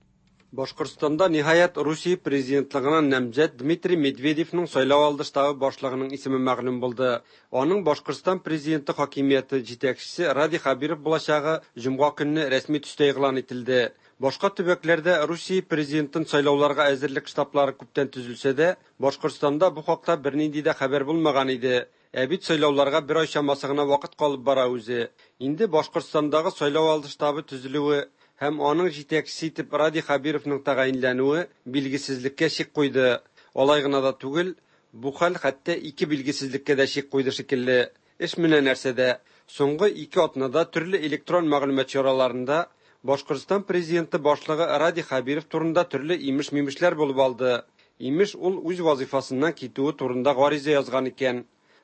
Башкортстанда, ниһаять, Русия президентлыгына намзәт Дмитрий Медведевның сайлау алды штабы башлыгының исеме мәгълүм булды. Аның Башкортстан президенты хакимияте җитәкчесе Радий Хәбиров булачагы җомга көнне рәсми төстә игълан ителде. Башка төбәкләрдә Русия президентын сайлауларга әзерлек штаблары күптән төзелсә дә, Башкортстанда бу хакта бернинди дә хәбәр булмаган иде. Ә бит сайлауларга бер ай чамасы гына вакыт калып бара үзе. Инде Башкортстандагы сайлау алды штабы төзелүе һәм аның җитәкчесе итеп Радий Хәбировның тәгаенләнүе билгесезлеккә чик куйды. Алай гына да түгел, бу хәл хәтта ике билгесезлеккә дә чик куйды шикелле. Эш менә нәрсәдә. Соңгы ике атнада төрле электрон мәгълүмат чараларында Башкортстан президенты башлыгы Радий Хәбиров турында төрле имеш-мимешләр булып алды. Имеш, ул үз вазыйфасыннан китүе турында гариза язган икән.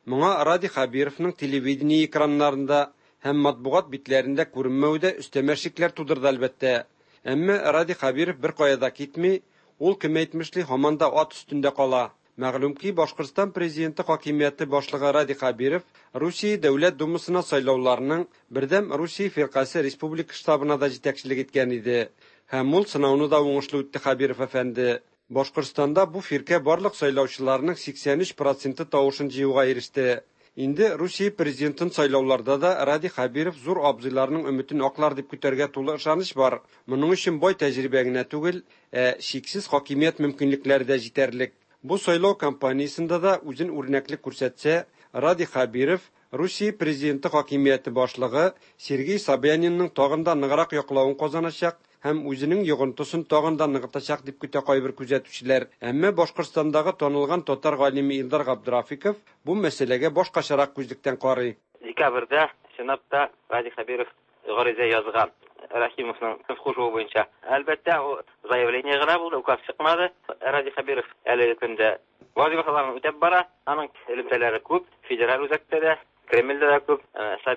Моңа Радий Хәбировның телевидение экраннарында һәм матбугат битләрендә күренмәве дә өстәмә шикләр тудырды, әлбәттә. Әмма Радий Хәбиров беркая да китми, ул, кем әйтмешли, һаман да ат өстендә кала. Мәгълүм ки, Башкортстан президенты хакимияте башлыгы Радий Хәбиров Русия Дәүләт Думасына сайлауларның Бердәм Русия фиркасе республика штабына да җитәкчелек иткән иде. Һәм ул сынауны да уңышлы үтте Хәбиров әфәнде. Башкортстанда бу фиркә барлык сайлаучыларның 83 проценты тавышын җыюга иреште. Инде Русия президентын сайлауларда да Радий Хәбиров зур абзыйларның өметен аклар дип көтәргә тулы ышаныч бар. Моның өчен бай тәҗрибә генә түгел, ә чиксез хакимият мөмкинлекләре дә җитәрлек. Бу сайлау кампаниясендә дә үзен үрнәкле күрсәтсә, Радий Хәбиров Русия президенты хакимияте башлыгы Сергей Собянинның тагын да ныграк яклавын казаначак һәм үзенең йогынтысын тагын да ныгытачак дип көтә кайбер күзәтүчеләр. Әмма Башкортстандагы танылган татар галиме Илдар Габдрафиков бу мәсьәләгә башкачарак күзлектән карый. Декабрьдә чынлап та Радий Хәбиров гариза язган Рәхимовның кушуы буенча. Әлбәттә, ул заявление гына булды, указ чыкмады. Радий Хәбиров әлеге көндә вазифаларын үтәп бара. Аның элемтәләре күп, федераль үзәктә дә, Кремльдә дә күп.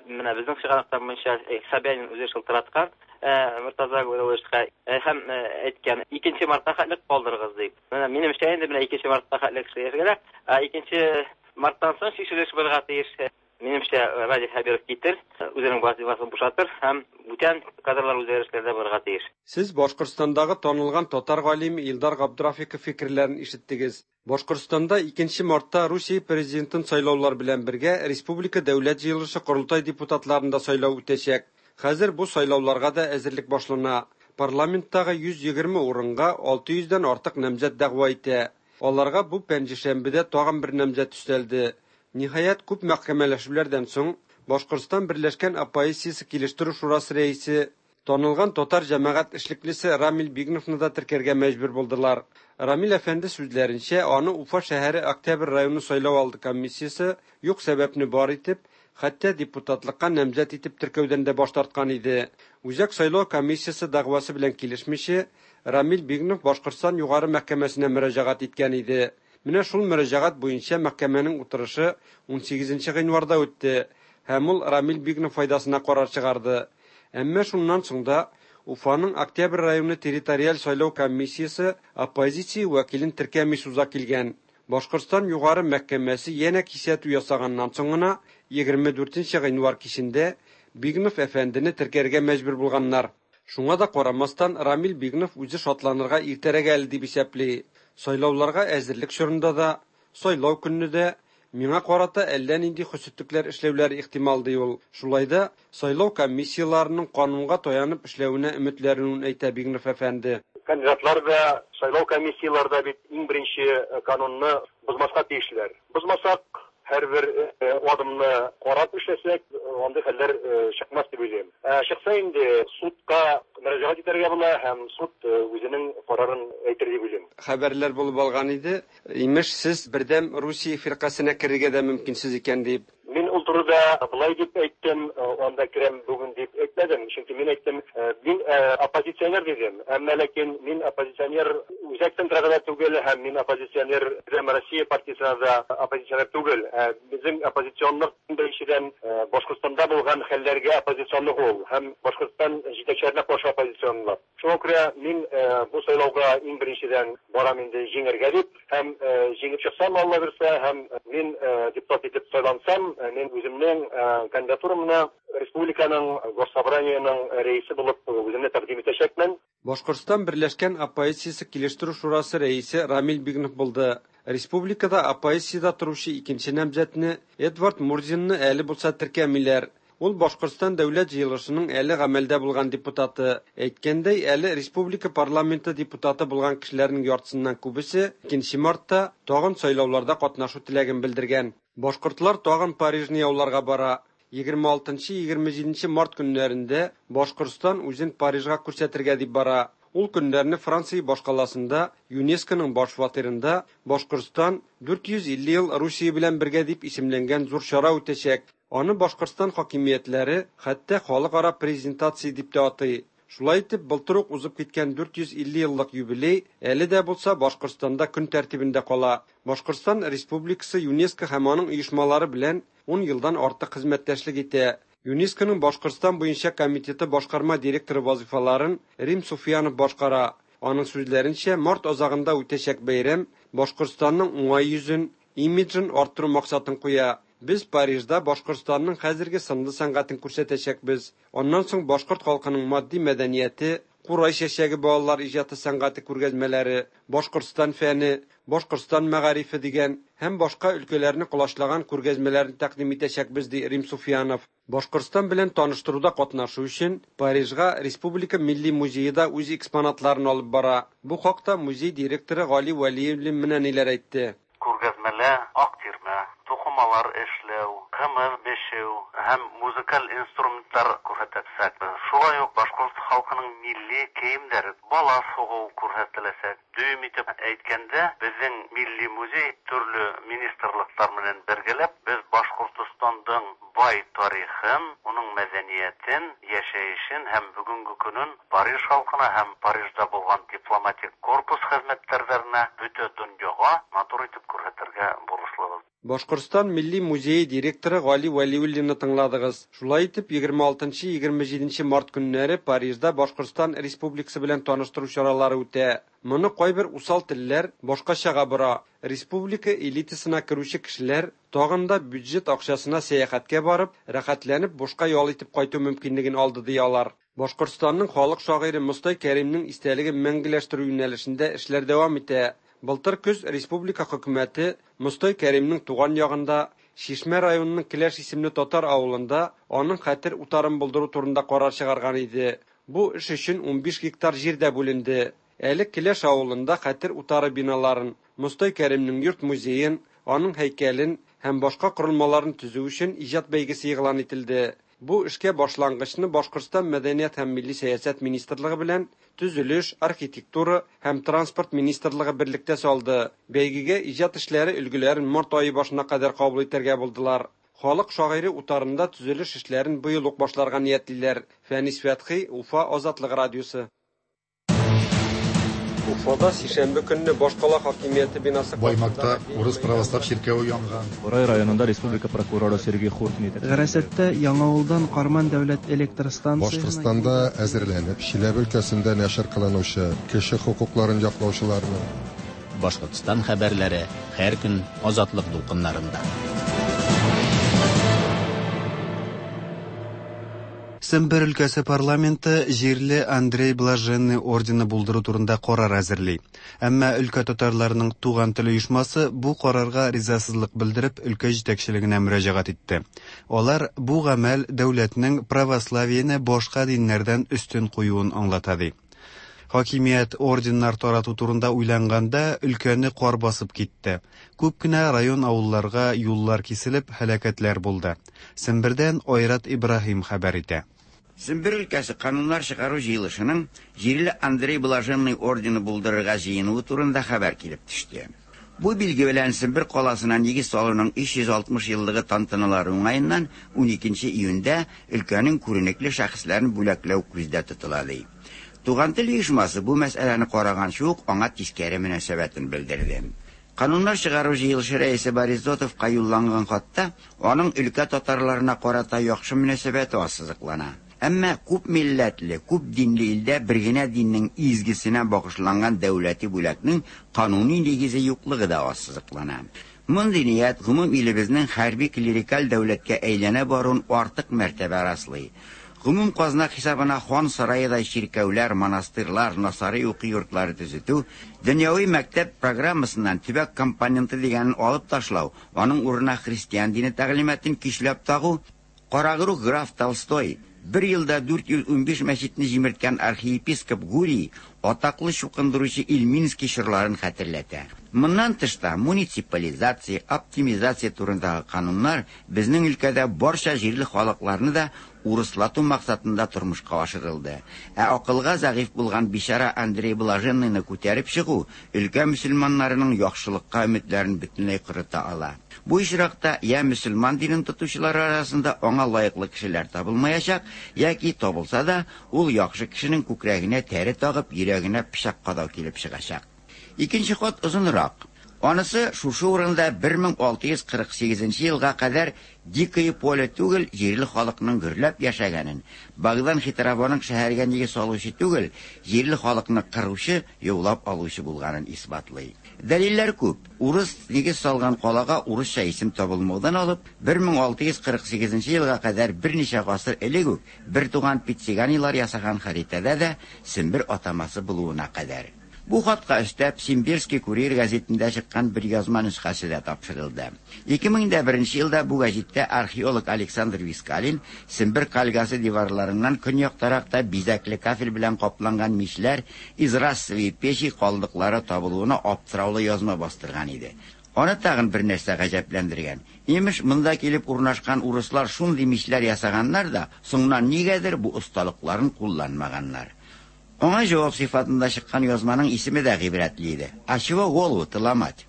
Менә безнең чыганаклар буенча Собянин үзе шылтыраткан Мортаза Гуйловичка һәм әйткән, 2 мартка хәтлек калдырыгыз дип. Менә минемчә инде менә 2 мартка хәтлек эшләргә, ә 2 марттан соң чишелеш булырга тиеш. Минемчә, Радий Хәбиров китер, үзенең вазифасын бушатыр һәм бүтән кадрлар үзгәрешләр дә булырга тиеш. Сез Башкортстандагы танылган татар галиме Илдар Габдрафиков фикерләрен ишеттегез. Башкортстанда 2 мартта Русия президентын сайлаулар белән бергә республика Дәүләт җыелышы-Корылтай депутатларын да сайлау үтәчәк. Хәзер бу сайлауларга да әзерлек башлана. Парламенттагы 120 урынга 600 дән артык намзәт дәгъва итә. Аларга бу пәнҗешәмбедә тагын бер намзәт өстәлде. Ниһаять, күп мәхкәмәләшүләрдән соң, Башкортстан Берләшкән оппозициясе килештерү шурасы рәисе, танылган татар җәмәгать эшлеклесе Рамил Бигновны да теркәргә мәҗбүр булдылар. Рамил әфәнде сүзләренчә, аны Уфа шәһәре Октябрь районы сайлау алды комиссиясе юк сәбәпне бар итеп, хәтта депутатлыкка намзәт итеп теркәүдән дә баш тарткан иде. Үзәк сайлау комиссиясе дәгъвасы белән килешмичә, Рамил Бигнов Башкортстан Югары мәхкәмәсенә мөрәҗәгать иткән иде. Менә шул мөрәҗәгать буенча мәхкәмәнең утырышы 18 гыйнварда үтте һәм ул Рамил Бигнов файдасына карар чыгарды. Әмма шуннан соң да Уфаның Октябрь районы территориаль сайлау комиссиясе оппозиция вәкилен теркәми суза килгән. Башкортстан Югары мәхкәмәсе янә кисәтү ясаганнан соң гына 24 гыйнвар кичендә Бигнов әфәндене теркәргә мәҗбүр булганнар. Шуңа да карамастан, Рамил Бигнов үзе шатланырга иртәрәк әле дип исәпли. Сайлауларга әзерлек чорында да, сайлау көнне дә миңа карата әллә нинди хөсетлекләр эшләүләре ихтимал, ди ул. Шулай да сайлау комиссияләренең канунга таянып эшләвенә өметләрен әйтә Бигнов әфәнде. Кандидатлар да, сайлау комиссияләре дә бит иң беренче канунны бозмаска тиешләр. Бозмасак, һәрбер адымны карап эшләсәк, андый хәлләр чыкмас дип уйлыйм. Чыкса инде судка мөрәҗәгать итәргә була һәм суд үзенең карарын әйтер дип уйлыйм. Хәбәрләр булып алган иде. Имеш, сез Бердәм Русия фиркасенә керергә дә мөмкинсез икән дип. Мин ул турыда былай дип әйттем, анда керәм бүген дип әйтмәдем, чөнки мин әйттем, мин оппозиционер дидем. Әмма ләкин мин оппозиционер үзәк центрга да түгел, һәм мин оппозиционер Бердәм Россия партиясенә дә оппозиционер түгел. Безнең оппозиционлык беренчедән Башкортстанда булган хәлләргә оппозиционлык ул, һәм Башкортстан җитәкчеләренә каршы оппозиционлык. Шуңа күрә мин бу сайлауга иң беренчедән барам инде җиңәргә дип, һәм җиңеп чыксам, Алла бирсә, һәм мин депутат итеп сайлансам, мин үземнең кандидатурамны республиканың госсобраниеның рәисе булып үземне тәкъдим итәчәкмен. Башкортстан Берләшкән оппозициясе килештерү шурасы рәисе Рамил Бигнов булды. Республикада оппозициядә торучы икенче намзәтне Эдвард Мурзинны әле булса теркәмиләр. Ул Башкортстан Дәүләт җыелышының әле гамәлдә булган депутаты. Әйткәндәй, әле республика парламенты депутаты булган кешеләрнең яртысыннан күбесе 2 мартта тагын сайлауларда катнашу теләген белдергән. Башкортлар тагын Парижны яуларга бара. 26-27 март көннәрендә Башкортстан үзен Парижга күрсәтергә дип бара. Ул көннәрне Франция башкаласында ЮНЕСКОның баш фатирында Башкортстан 450 ел Русия белән бергә дип исемләнгән зур чара үтәчәк. Аны Башкортстан хакимиятләре хәтта халыкара презентация дип тә атый. Шулай итеп, былтыр ук узып киткән 450 еллык юбилей әле дә булса Башкортстанда көн тәртибендә кала. Башкортстан Республикасы ЮНЕСКО һәм аның оешмалары белән 10 елдан артык хезмәттәшлек итә. ЮНЕСКОның Башкортстан буенча комитеты башкарма директоры вазыйфаларын Рим Суфиянов башкара. Аның сүзләренчә, март азагында үтәчәк бәйрәм Башкортстанның уңай йөзен, имиджын арттыру максатын куя. Без Парижда Башкортстанның хәзерге сынлы сәнгатен күрсәтәчәкбез. Аннан соң башкорт халкының матди мәдәнияте, Курай чәчәге балалар иҗаты сәнгате күргәзмәләре, Башкортстан фәне, Башкортстан мәгарифе дигән һәм башка өлкәләрне колачлаган күргәзмәләрне тәкъдим итәчәкбез, ди Рим Суфиянов. Башкортстан белән таныштыруда катнашу өчен Парижга Республика милли музее да үз экспонатларын алып бара. Бу хакта музей директоры Гали Вәлиуллин менә ниләр әйтте. Күргәзмәлә ак тирмә, тукымалар эшләү, кымыз бешеү һәм музыкаль инструментлар күрсәтәчәкбез. Шулай ук башкорт халкының милли киемнәре, бала сугу күрсәтеләчәк. Дөем итеп әйткәндә, безнең милли музей төрле министрлыклар белән бергәләп без Башкортостандың бай тарихын, уның мәдәниятен, яшәешен һәм бүгенге көнен Париж халкына һәм Парижда булган дипломатик корпус хезмәткәрләренә, бөтә дөньяга матур итеп күрсәтергә бурычлыбыз. Башкортстан Милли музее директоры Гали Вәлиуллинны тыңладыгыз. Шулай итеп, 26-27 март көннәре Парижда Башкортстан Республикасы белән таныштыру чаралары үтә. Моны кайбер усал телләр башкачага бора. Республика элитасына керүче кешеләр тагын да бюджет акчасына сәяхәткә барып, рәхәтләнеп бушка ял итеп кайту мөмкинлеген алды, ди алар. Башкортстанның халык шагыйре Мостай Кәримнең истәлеген мәңгеләштерү юнәлешендә эшләр дәвам итә. Былтыр көз республика хөкүмәте Мостай Кәримнең туган ягында, Чишмә районының Келәш исемле татар авылында аның хәтер утарын булдыру турында карар чыгарган иде. Бу эш өчен 15 гектар җир дә бүленде. Әле Келәш авылында хәтер утары биналарын, Мостай Кәримнең йорт-музеен, аның һәйкәлен һәм башка корылмаларын төзү өчен иҗат бәйгесе игълан ителде. Бу эшкә башлангычны Башкортстан Мәдәният һәм милли сәясәт министрлыгы белән Төзелеш, архитектура һәм транспорт министрлыгы берлектә салды. Бәйгегә иҗат эшләре өлгеләрен март ае башына кадәр кабул итәргә булдылар. Халык шагыйре утарында төзелеш эшләрен быел ук башларга ниятлиләр. Фәнис Фәтхи, Уфа, Азатлык радиосы. Уфада сишәмбе көнне башкала хакимияте бинасы Баймакта урыс православ чиркәве янган. Борай районында республика прокуроры Сергей Хуртин итәкчелегендәге. Гарасаттә Яңавылдан Карман дәүләт электр станциясенә Башкортстанда әзерләнеп, Чиләбе өлкәсендә нәшер кылынучы кеше хокукларын яклаучыларның, Башкортстан хәбәрләре һәр көн Азатлык дулкыннарында. Сембер өлкәсе парламенты җирле Андрей Блаженный ордены булдыру турында карар әзерли. Әмма өлкә татарларының Туган тел оешмасы бу карарга ризасызлык белдереп өлкә җитәкчелегенә мөрәҗәгать итте. Алар бу гамәл дәүләтнең православиене башка диннәрдән өстен куюын аңлата ди. Хакимият орденнар тарату турында уйланганда өлкәне кар басып китте. Күп кенә район-авылларга юллар киселеп, һәлакәтләр булды. Сембердән Айрат Ибраһим хәбәр итә. Сембер өлкәсе Кануннар чыгару җыелышының җирле Андрей Блаженный ордены булдырырга җыенуы турында хәбәр килеп төште. Бу билге белән Сембер каласына нигез салуның 360 еллыгы тантаналары уңаеннан 12 июньдә өлкәнең күренекле шәхесләрен бүләкләү күздә тотыла, ди. Туган тел оешмасы бу мәсьәләне караганчы ук аңа тискәре мөнәсәбәтен белдерде. Кануннар чыгару җыелышы рәисе Борис Зотовка юлланган хатта аның өлкә татарларына карата яхшы мөнәсәбәте ассызыклана. Әмма күп милләтле, күп динле илдә бер генә диннең изгесенә багышланган дәүләти бүләкнең кануни нигезе юклыгы да ассызыклана. Мондый ният гомум илебезнең хәрби-клерикаль дәүләткә әйләнә баруын артык мәртәбә раслый. Гомум казна хисабына хан сараедай чиркәүләр, монастырьлар, насари уку йортлары төзетү, дөньяви мәктәп программасыннан төбәк компоненты дигәнен алып ташлау, аның урынына христиан дине тәгълиматын көчләп тагу, Карагруһ граф Толстой, бер елда 415 мәчетне җимерткән архиепископ Гурий, атаклы чукындыручы Ильминский чорларын хәтерләтә. Моннан тыш та муниципализация, оптимизация турындагы кануннар безнең өлкәдә барча җирле халыкларны да урыслату максатында тормышка ашырылды. Ә акылга зәгыйфь булган бичара Андрей Блаженныйны күтәреп чыгу өлкә мөселманнарының яхшылыкка өметләрен бөтенләй корыта ала. Бу очракта я мөселман динен тотучылар арасында аңа лаеклы кешеләр табылмаячак, яки табылса да, ул яхшы кешенең күкрәгенә тәре тагып, йөрәгенә пычак кадау килеп чыгачак. Икенче хат озынрак. Анысы шушы урында 1648 нче елга кадәр Дикое поле түгел, җирле халыкның гөрләп яшәгәнен, Богдан Хитровоның шәһәргә нигез салучы түгел, җирле халыкны кыручы, яулап алучы булганын исбатлый. Дәлилләр күп. Урыс нигез салган калага урысча исем табылмаудан алып, 1648 нче елга кадәр берничә гасыр элек үк бертуган Пициганилар ясаган хәритәдә дә Сембер атамасы булуына кадәр. Бу хатка өстәп, Симбирский курьер гәзитендә чыккан бер язма нөсхәсе дә тапшырылды. 2001 нче елда бу гәҗиттә археолог Александр Вискалин Сембер кальгасы диварларыннан көньяктарак та бизәкле кафель белән капланган мичләр, изразцевые печи, калдыклары табылуына аптыраулы язма бастырган иде. Аны тагын бер нәрсә гаҗәпләндергән. Имеш, монда килеп урнашкан урыслар шундый мичләр ясаганнар да, соңыннан нигәдер бу осталыкларын кулланмаганнар. Аңа җавап сыйфатында чыккан язманың исеме дә гыйбрәтле иде, А чего голову-то ломать?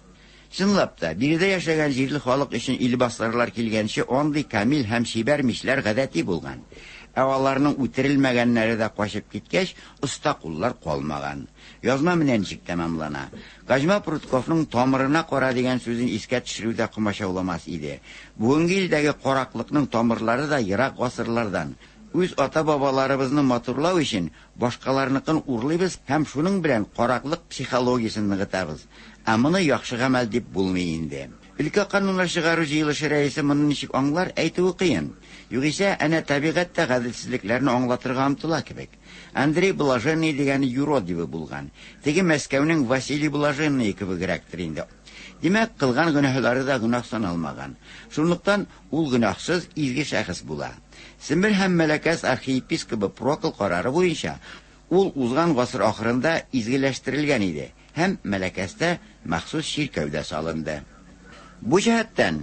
Чынлап та, биредә яшәгән җирле халык өчен илбасарлар килгәнче андый камил һәм чибәр мичләр гадәти булган. Ә аларның үтерелмәгәннәре дә качып киткәч, оста куллар калмаган. Язма менә ничек тәмамлана. Козьма Прутковның тамырына кара дигән сүзен искә төшерү дә комачауламас иде. Бүгенге илдәге караклыкның тамырлары да ерак гасырлардан. Үз ата-бабаларыбызны матурлау өчен башкаларныкын урлыйбыз һәм шуның белән караклык психологиясен ныгытабыз. Ә моны яхшы гамәл дип булмый инде. Өлкә кануннар чыгару җыелышы рәисе моны ничек аңлар, әйтүе кыен. Югыйсә, әнә табигать тә гаделсезлекләрне аңлатырга омтыла кебек. Андрей Блаженный дигәне юродивый булган. Теге Мәскәүнең Василий Блаженные кебегрәктер инде. Димәк, кылган гөнаһлары да гөнаһ саналмаган. Шунлыктан ул гөнаһсыз, изге шәхес була. Сембер һәм Мәләкәс архиепискобы Прокл карары буенча, ул узган гасыр ахырында изгеләштерелгән иде һәм Мәләкәстә махсус чиркәү дә салынды. Бу җәһәттән,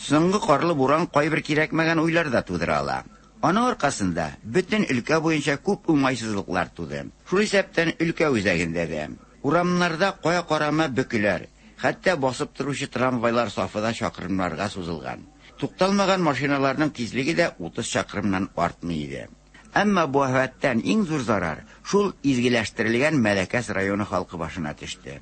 соңгы карлы буран кайбер кирәкмәгән уйлар да тудыра ала. Аның аркасында бөтен өлкә буенча күп уңайсызлыклар туды. Шул исәптән өлкә үзәгендә дә. Урамнарда кая карама бөкеләр, хәтта басып торучы трамвайлар сафы да чакрымнарга сузылган. Тукталмаган машиналарның тизлеге дә 30 чакрымнан артмый иде. Әмма бу афәттән иң зур зарар шул изгеләштерелгән Мәләкәс районы халкы башына төште.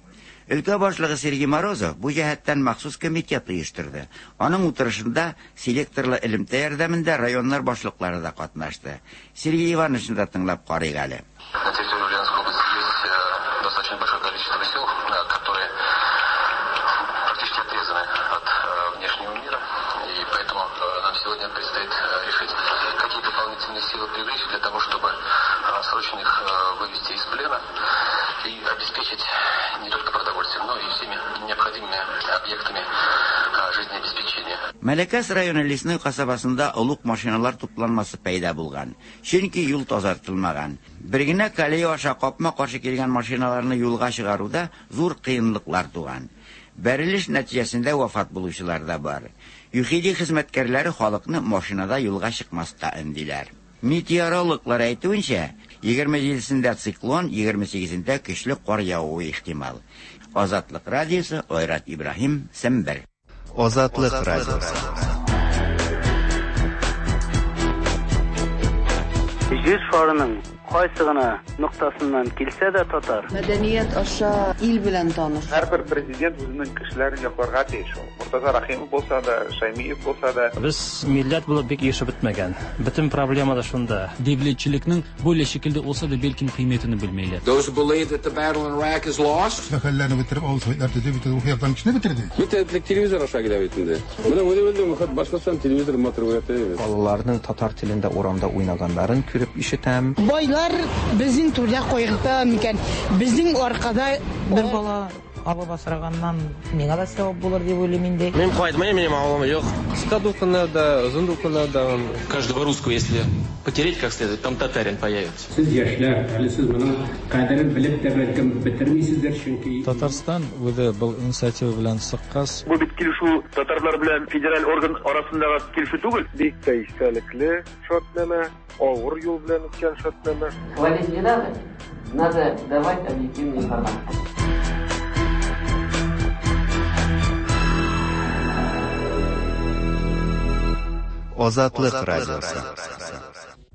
Өлкә башлыгы Сергей Морозов бу җәһәттән махсус комитет оештырды. Аның утырышында селекторлы элемтә ярдәмендә районнар башлыклары да катнашты. Сергей Ивановичны да тыңлап карыйк әле. На территории Ульяновской области есть э, достаточно большое количество сел, э, которые практически отрезаны от э, внешнего мира. И поэтому нам сегодня предстоит решить, какие дополнительные силы привлечь для того, чтобы срочно их вывести из плена и обеспечить не только продовольствием, но и всеми необходимыми объектами жизнеобеспечения. Мәләкәс районы Лесной касабасында олуг машиналар тупланмасы пәйда булган. Чөнки юл тазартылмаган. Бер генә колея аша капма-каршы килгән машиналарны юлга чыгаруда зур кыенлыклар туган. Бәрелеш нәтиҗәсендә вафат булучылар да бар. ЮХИДИ хезмәткәрләре халыкны машинада юлга чыкмаска өндиләр. Метеорологлар әйтүенчә, 27сендә циклон, 28ендә көчле кар явуы ихтимал. Азатлык радиосы, Айрат Ибраһим, Сембер. Азатлык радиосы. Җир шарының кайсы гына ноктасыннан килсә дә татар. Мәдәният аша ил белән таныш. Һәрбер президент үзенең кешеләрен якларга тиеш ул. Мортаза Рәхимов булса да, Шәймиев булса да. Без милләт булып бик ирешеп бетмәгән. Бөтен проблема да шунда. Devletchilikning böyle şekilde olsa da belkim qiymetini bilmeyler. Those who believe that the battle in Iraq is lost. Мәхәлләне бетереп, авыл советлар төзеп, бөтен рухи яктан кешене бетерде. Бөтен телевизор аша килә бит инде. Менә үзе белдем, хат Башкортстан телевизор матур күрәтә. Балаларның татар телендә урамда уйнаганнарын күреп ишетәм. Байлар безнең турыда кайгырта микән? Безнең аркада бер бала Алып асраганнан миңа да сәвап булыр дип уйлыйм инде. Мин кайтмыйм, минем авылым юк. Кыска дулкыннарда, озын дулкыннарда. Каждого русского, если потереть как следует, там татарин появится. Сез яшьләр, әле сез моның кадерен белеп тә бәлкем бетермисездер, чөнки Татарстан үзе был инициатива белән чыккач, Бу бит килешү татарлар белән федераль орган арасындагы килешү түгел. Бик тә истәлекле шартнамә, авыр юл белән үткән шартнамә. Хвалить не надо, надо давать объективную информацию. Азатлык радиосы.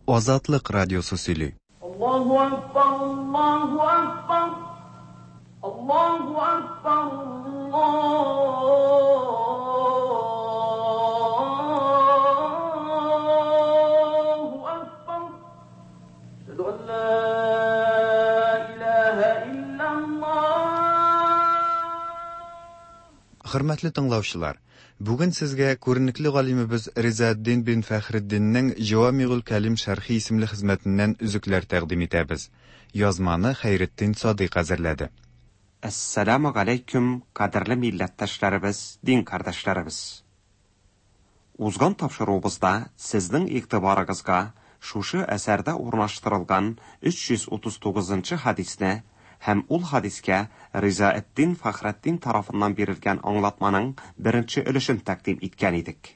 Азатлык радиосы сөйли. Аллаһу акбар, Аллаһу акбар. Аллаһу акбар, Аллаһу акбар. Әшһәду ан ла илаһа иллаллаһ. Хөрмәтле тыңлаучылар, бүген сезгә күренекле галимебез Ризаэддин бин Фәхретдиннең Җавамигул Кәлим шәрхи исемле хезмәтеннән өзекләр тәкъдим итәбез. Язманы Хәйретдин Садыйк әзерләде. Әссәламү галәйкүм, кадерле милләттәшләребез, дин кардәшләребез. Узган тапшыруыбызда сезнең игътибарыгызга шушы әсәрдә урнаштырылган 339 нчы хәдисне һәм ул хәдискә Ризаэддин Фәхретдин тарафыннан бирелгән аңлатманың беренче өлешен тәкъдим иткән идек.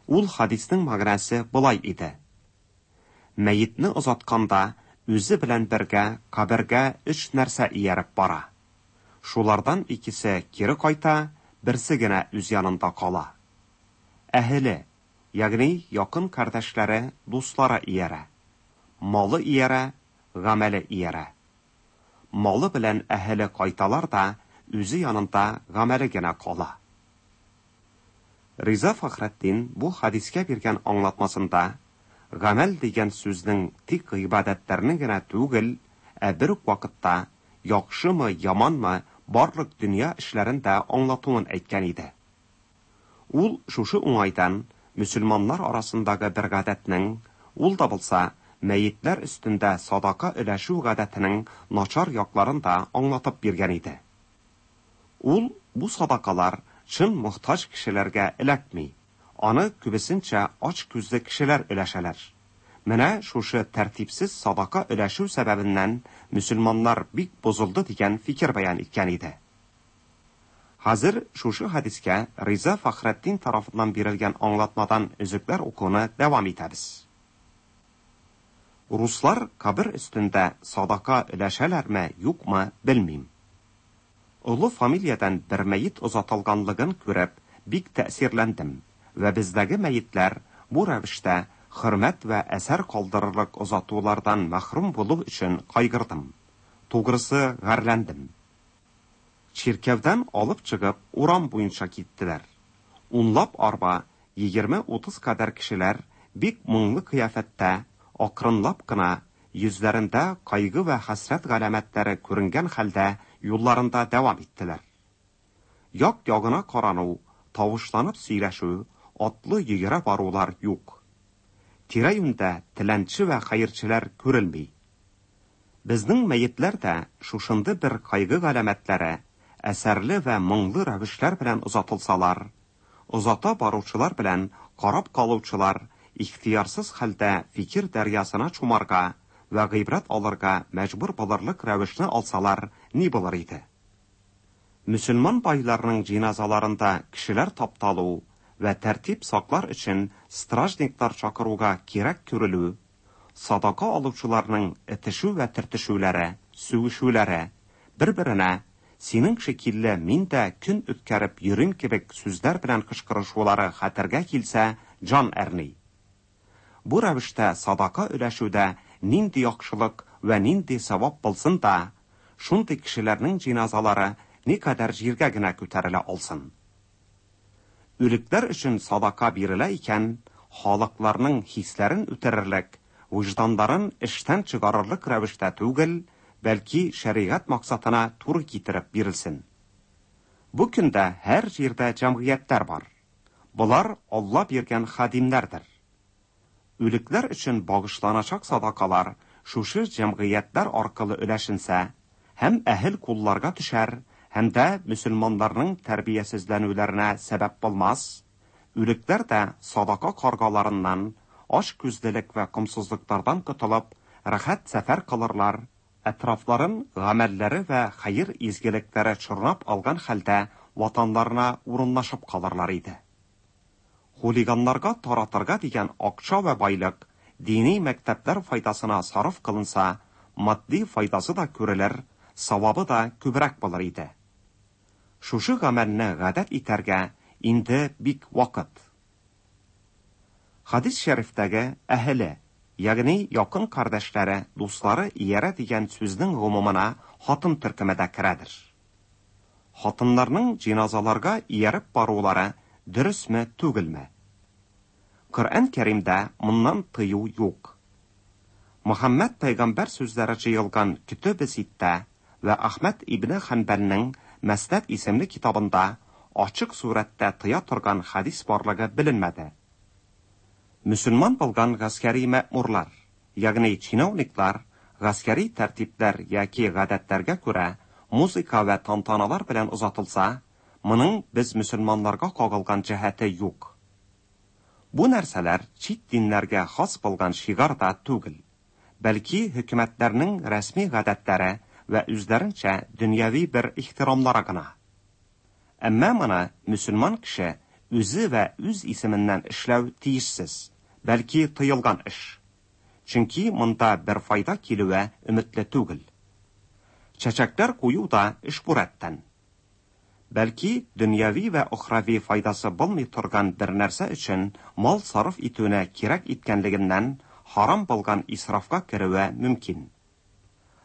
Ул хәдиснең мәгънәсе болай иде. Мәетне озатканда үзе белән бергә кабергә өч нәрсә ияреп бара. Шулардан икесе кире кайта, берсе генә үз янында кала. Әһеле, ягъни якын кардәшләре, дуслары иярә. Малы иярә, гамәле иярә. Малы белән әһеле кайталар да, үзе янында гамәле генә кала. Риза Фәхретдин бу хәдискә биргән аңлатмасында гамәл дигән сүзнең тик гыйбадәтләрне генә түгел, ә бер үк вакытта яхшымы, яманмы барлык дөнья эшләрен дә аңлатуын әйткән иде. Ул шушы уңайдан мөселманнар арасындагы бер гадәтнең, ул да булса, мәетләр өстендә садака өләшү гадәтенең начар якларын да аңлатып биргән иде. Ул бу садакалар чын мохтаҗ кешеләргә эләкми, аны күбесенчә ач күзле кешеләр өләшәләр. Менә шушы тәртипсез садака өләшү сәбәбеннән мөселманнар бик бозылды дигән фикер бәян иткән иде. Хәзер шушы хәдискә Риза Фәхретдин тарафыннан бирелгән аңлатмадан өзекләр укуны дәвам итәбез. Руслар кабер өстендә садака өләшәләрме, юкмы, белмим. Олы фамилиядән бер мәет озатылганлыгын күреп, бик тәэсирләндем вә бездәге мәетләр бу рәвештә хөрмәт вә әсәр калдырырлык озатулардан мәхрүм булу өчен кайгырдым. Тугрысы, гарьләндем. Чиркәүдән алып чыгып, урам буенча киттеләр. Унлап арба, егерме-утыз кадәр кешеләр бик моңлы кыяфәттә, акрынлап кына, йөзләрендә кайгы вә хәсрәт галәмәтләре күренгән хәлдә юлларында дәвам иттеләр. Як-ягына карану, тавышланып сөйләшү, атлы йөгерә барулар юк. Тирә-юньдә теләнче вә хәерчеләр күрелми. Безнең мәетләр дә шушынды бер кайгы галәмәтләре, әсәрле вә моңлы рәвешләр белән озатылсалар, озата баручылар белән карап калучылар ихтыярсыз хәлдә фикер дәрьясына чумарга вә гыйбрәт алырга мәҗбүр булырлык рәвешне алсалар, ни булыр иде? Мөселман байларының җиназаларында кешеләр тапталу вә тәртип саклар өчен стражниклар чакыруга кирәк күрелү, садака алучыларның этешү вә төртешүләре, сүгешүләре, бер-беренә синең шикелле мин дә көн үткәреп йөрим кебек сүзләр белән кычкырышулары хәтергә килсә, җан әрни. Бу рәвештә садака өләшүдә нинди яхшылык вә нинди савап булсын да, шундый кешеләрнең җиназалары никадәр җиргә генә күтәрелә алсын? Үлекләр өчен садака бирелә икән, халыкларның хисләрен үтерерлек, вөҗданнарын эштән чыгарырлык рәвештә түгел, бәлки шәригать максатына туры китереп бирелсен. Бу көндә һәр җирдә җәмгыятьләр бар. Болар Алла биргән хадимнәрдер. Үлекләр өчен багышланачак садакалар шушы җәмгыятьләр аркылы өләшенсә, һәм әһел кулларга төшәр, һәм дә мөселманнарның тәрбиясезләнүләренә сәбәп булмас, үлекләр дә садака каргаларыннан, ач күзлелек вә комсызлыклардан котылып, рәхәт сәфәр кылырлар, әтрафларын гамәлләре вә хәер-изгелекләре чорнап алган хәлдә ватаннарына урынлашып калырлар иде. Хулиганнарга таратырга дигән акча вә байлык дини мәктәпләр файдасына сарыф кылынса, матди файдасы да күрелер, савабы да күбрәк булыр иде. Шушы гамәлне гадәт итәргә инде бик вакыт. Хадис шәрифтәге әһеле, ягъни якын кардәшләре, дуслары иярә дигән сүзнең гомумына хатын төркеме дә керәдер. Хатыннарның җиназаларга ияреп барулары дөресме, түгелме? Коръән Кәримдә моннан тыю юк. Мөхәммәд пәйгамбәр сүзләре җыелган Көтебе ситтә вә Әхмәд ибне Хәнбәлнең Мәснәд исемле китабында ачык сурәттә тыя торган хәдис барлыгы беленмәде. Мөселман булган гаскәри мәэмурлар, ягъни чиновниклар гаскәри тәртипләр яки гадәтләргә күрә музыка вә тантаналар белән озатылса, моның без мөселманнарга кагылган җәһәте юк. Бу нәрсәләр чит диннәргә хас булган шигар да түгел, бәлки хөкүмәтләрнең рәсми гадәтләре вә үзләренчә дөньяви бер ихтирамлары гына. Әмма моны мөселман кеше үзе вә үз исеменнән эшләү тиешсез, бәлки тыелган эш. Чөнки монда бер файда килүе өметле түгел. Чәчәкләр кую да эш бу рәттән. Бәлки дөньяви вә охрави файдасы булмый торган бер нәрсә өчен мал сарыф итүне кирәк иткәнлегеннән харам булган исрафка керүе мөмкин.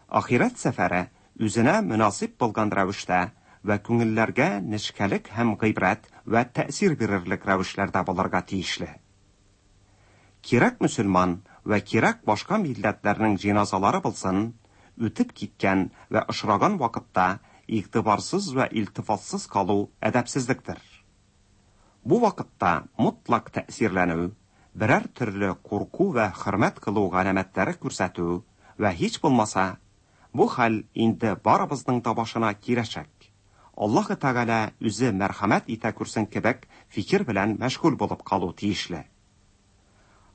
Ахирәт сәфәре үзенә мөнасиб булган рәвештә вә күңелләргә нечкәлек һәм гыйбрәт вә тәэсир бирерлек рәвешләрдә булырга тиешле. Кирәк мөселман вә кирәк башка милләтләрнең җиназалары булсын, үтеп киткән вә очраган вакытта игътибарсыз вә илтифатсыз калу әдәпсезлектер. Бу вакытта мотлак тәэсирләнү, берәр төрле курку вә хөрмәт кылу галәмәтләре күрсәтү вә һич булмаса, бу хәл инде барыбызның да башына киләчәк. Аллаһы Тәгалә үзе мәрхәмәт итә күрсен кебек фикер белән мәшгуль булып калу тиешле.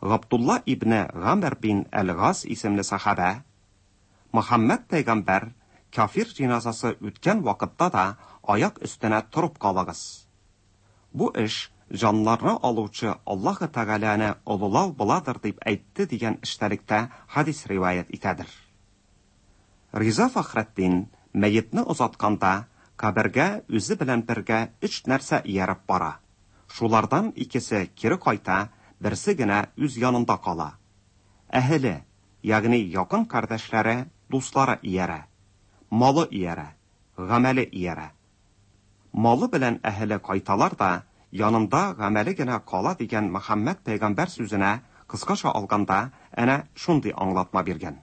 Габдулла ибне Гамр бин әл-Гас исемле сахабә, Мөхәммәд пәйгамбәр кафир җиназасы үткән вакытта да аяк өстенә торып калыгыз. Бу эш җаннарны алучы Аллаһы Тәгаләне олылау буладыр дип әйтте дигән эчтәлектә хадис риваять итәдер. Риза Фәхретдин мәетне озатканда кабергә үзе белән бергә өч нәрсә ияреп бара. Шулардан икесе кире кайта, берсе генә үз янында кала. Әһеле, ягъни якын кардәшләре, дуслары иярә. Малы иярә, гамәле иярә. Малы белән әһеле кайталар да, янында гамәле генә кала дигән Мөхәммәд пәйгамбәр сүзенә, кыскача алганда, әнә шундый аңлатма биргән.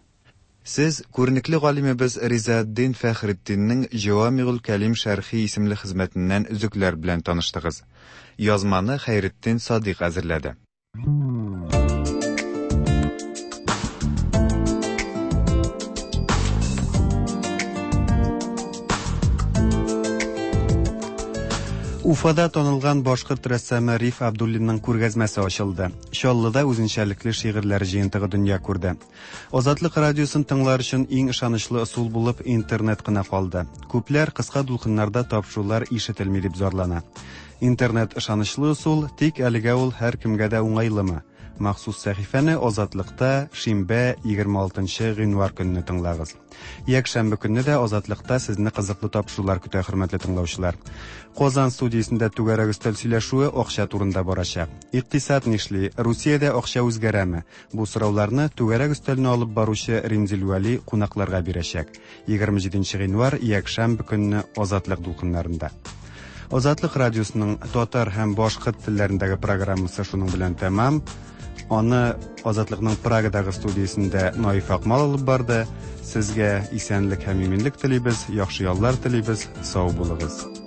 Сез күренекле галимебез Ризаэтдин Фәхретдиннең Җәвамигуль кәлим шәрхи исемле хезмәтеннән өзекләр белән таныштыгыз. Язманы Хәйретдин Садыйк әзерләде. Уфада танылган башкорт рәссамы Риф Абдуллинның күргәзмәсе ачылды. Чаллыда үзенчәлекле шигырьләр җыентыгы дөнья күрде. Азатлык радиосын тыңлар өчен иң ышанычлы ысул булып интернет кына калды. Күпләр кыска дулкыннарда тапшырулар ишетелми дип зарлана. Интернет ышанычлы ысул, тик әлегә ул һәркемгә дә уңайлымы? Махсус сәхифәне Азатлыкта шимбә 26 гыйнвар көнне тыңлагыз. Якшәмбе көнне дә Азатлыкта сезне кызыклы тапшырулар көтә, хөрмәтле тыңлаучылар. Казан студиясендә түгәрәк өстәл сөйләшүе акча турында барачак. Икътисад нишли? Русиядә акча үзгәрәме? Бу сорауларны түгәрәк өстәлне алып баручы Римзил Вәли кунакларга бирәчәк. 27 гыйнвар, якшәмбе көнне Азатлык дулкыннарында. Азатлык радиосының татар һәм башкорт телләрендәге программасы шуның белән тәмам. Аны Азатлыкның Прагадагы студиясендә Наиф Акмал алып барды. Сезгә исәнлек һәм иминлек телибез, яхшы яллар телибез. Сау булыгыз.